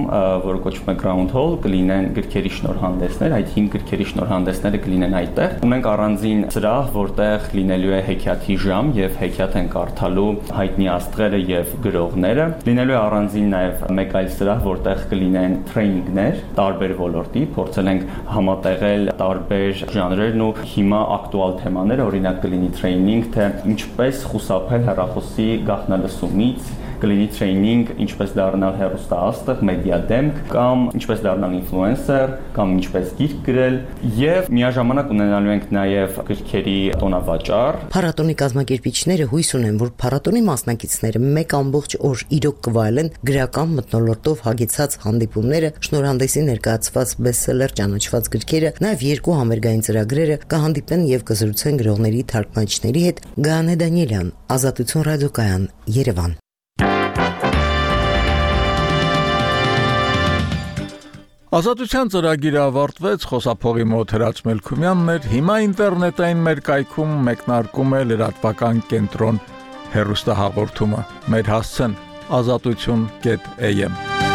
որը կոչվում է Ground Hall, կլինեն գրքերի շնորհանդեսներ, այդ 5 գրքերի շնորհանդեսները կլինեն այդտեղ։ Ունենք առանձին սրահ, որտեղ լինելու է հեքիաթի ժամ եւ հեքիաթ են կարդալու հայտնի աստղերը եւ գրողները։ Լինելու է առանձին նաեւ մեկ այլ սրահ, որտեղ կլինեն տրեյնինգներ տարբեր ոլորտի, փորձել ենք համատեղել տարբեր ժանրերն ու հիմա ակտուալ թեմաները, օրինակ կլինի տրեյնինգ, թե ինչպես խուսափել հեռախոսի գաղտնալսումից, կլինի տրեյնինգ ինչպես դառնալ հեռուստաաստղ, մեդիա դեմք, կամ ինչպես դառնալ ինֆլուենսեր, կամ ինչպես գիրք գրել, եւ միաժամանակ ունենալու ենք նաեւ գրքերի տոնավաճառ։ Փառատոնի կազմակերպիչները հույս ունեն, որ փառատոնի մասնակիցները մեկ ամբողջ օր իրոք կվայելեն գրական մթնոլորտով հագեցած հանդիպումները, շնորհանդեսի ներկայացված բեսթսելեր ճանաչված գրքերը, նաեւ 2 համերգային ծրագրերը կհանդիպեն եւ կզրուցեն գրողների թարգմանիչների հետ։ Գայանե Դանիելյան, Ազատություն ռադիոկայան, Երևան։ Ազատության ծրագիրը ավարտվեց, խոսափողի մոտ Հրաչ Մելքումյանն էր, հիմա ինտերնետային մեր կայքում մեկնարկում է լրատվական կենտրոն հեռուստահաղորդումը։ Մեր հասցեն azatutun.am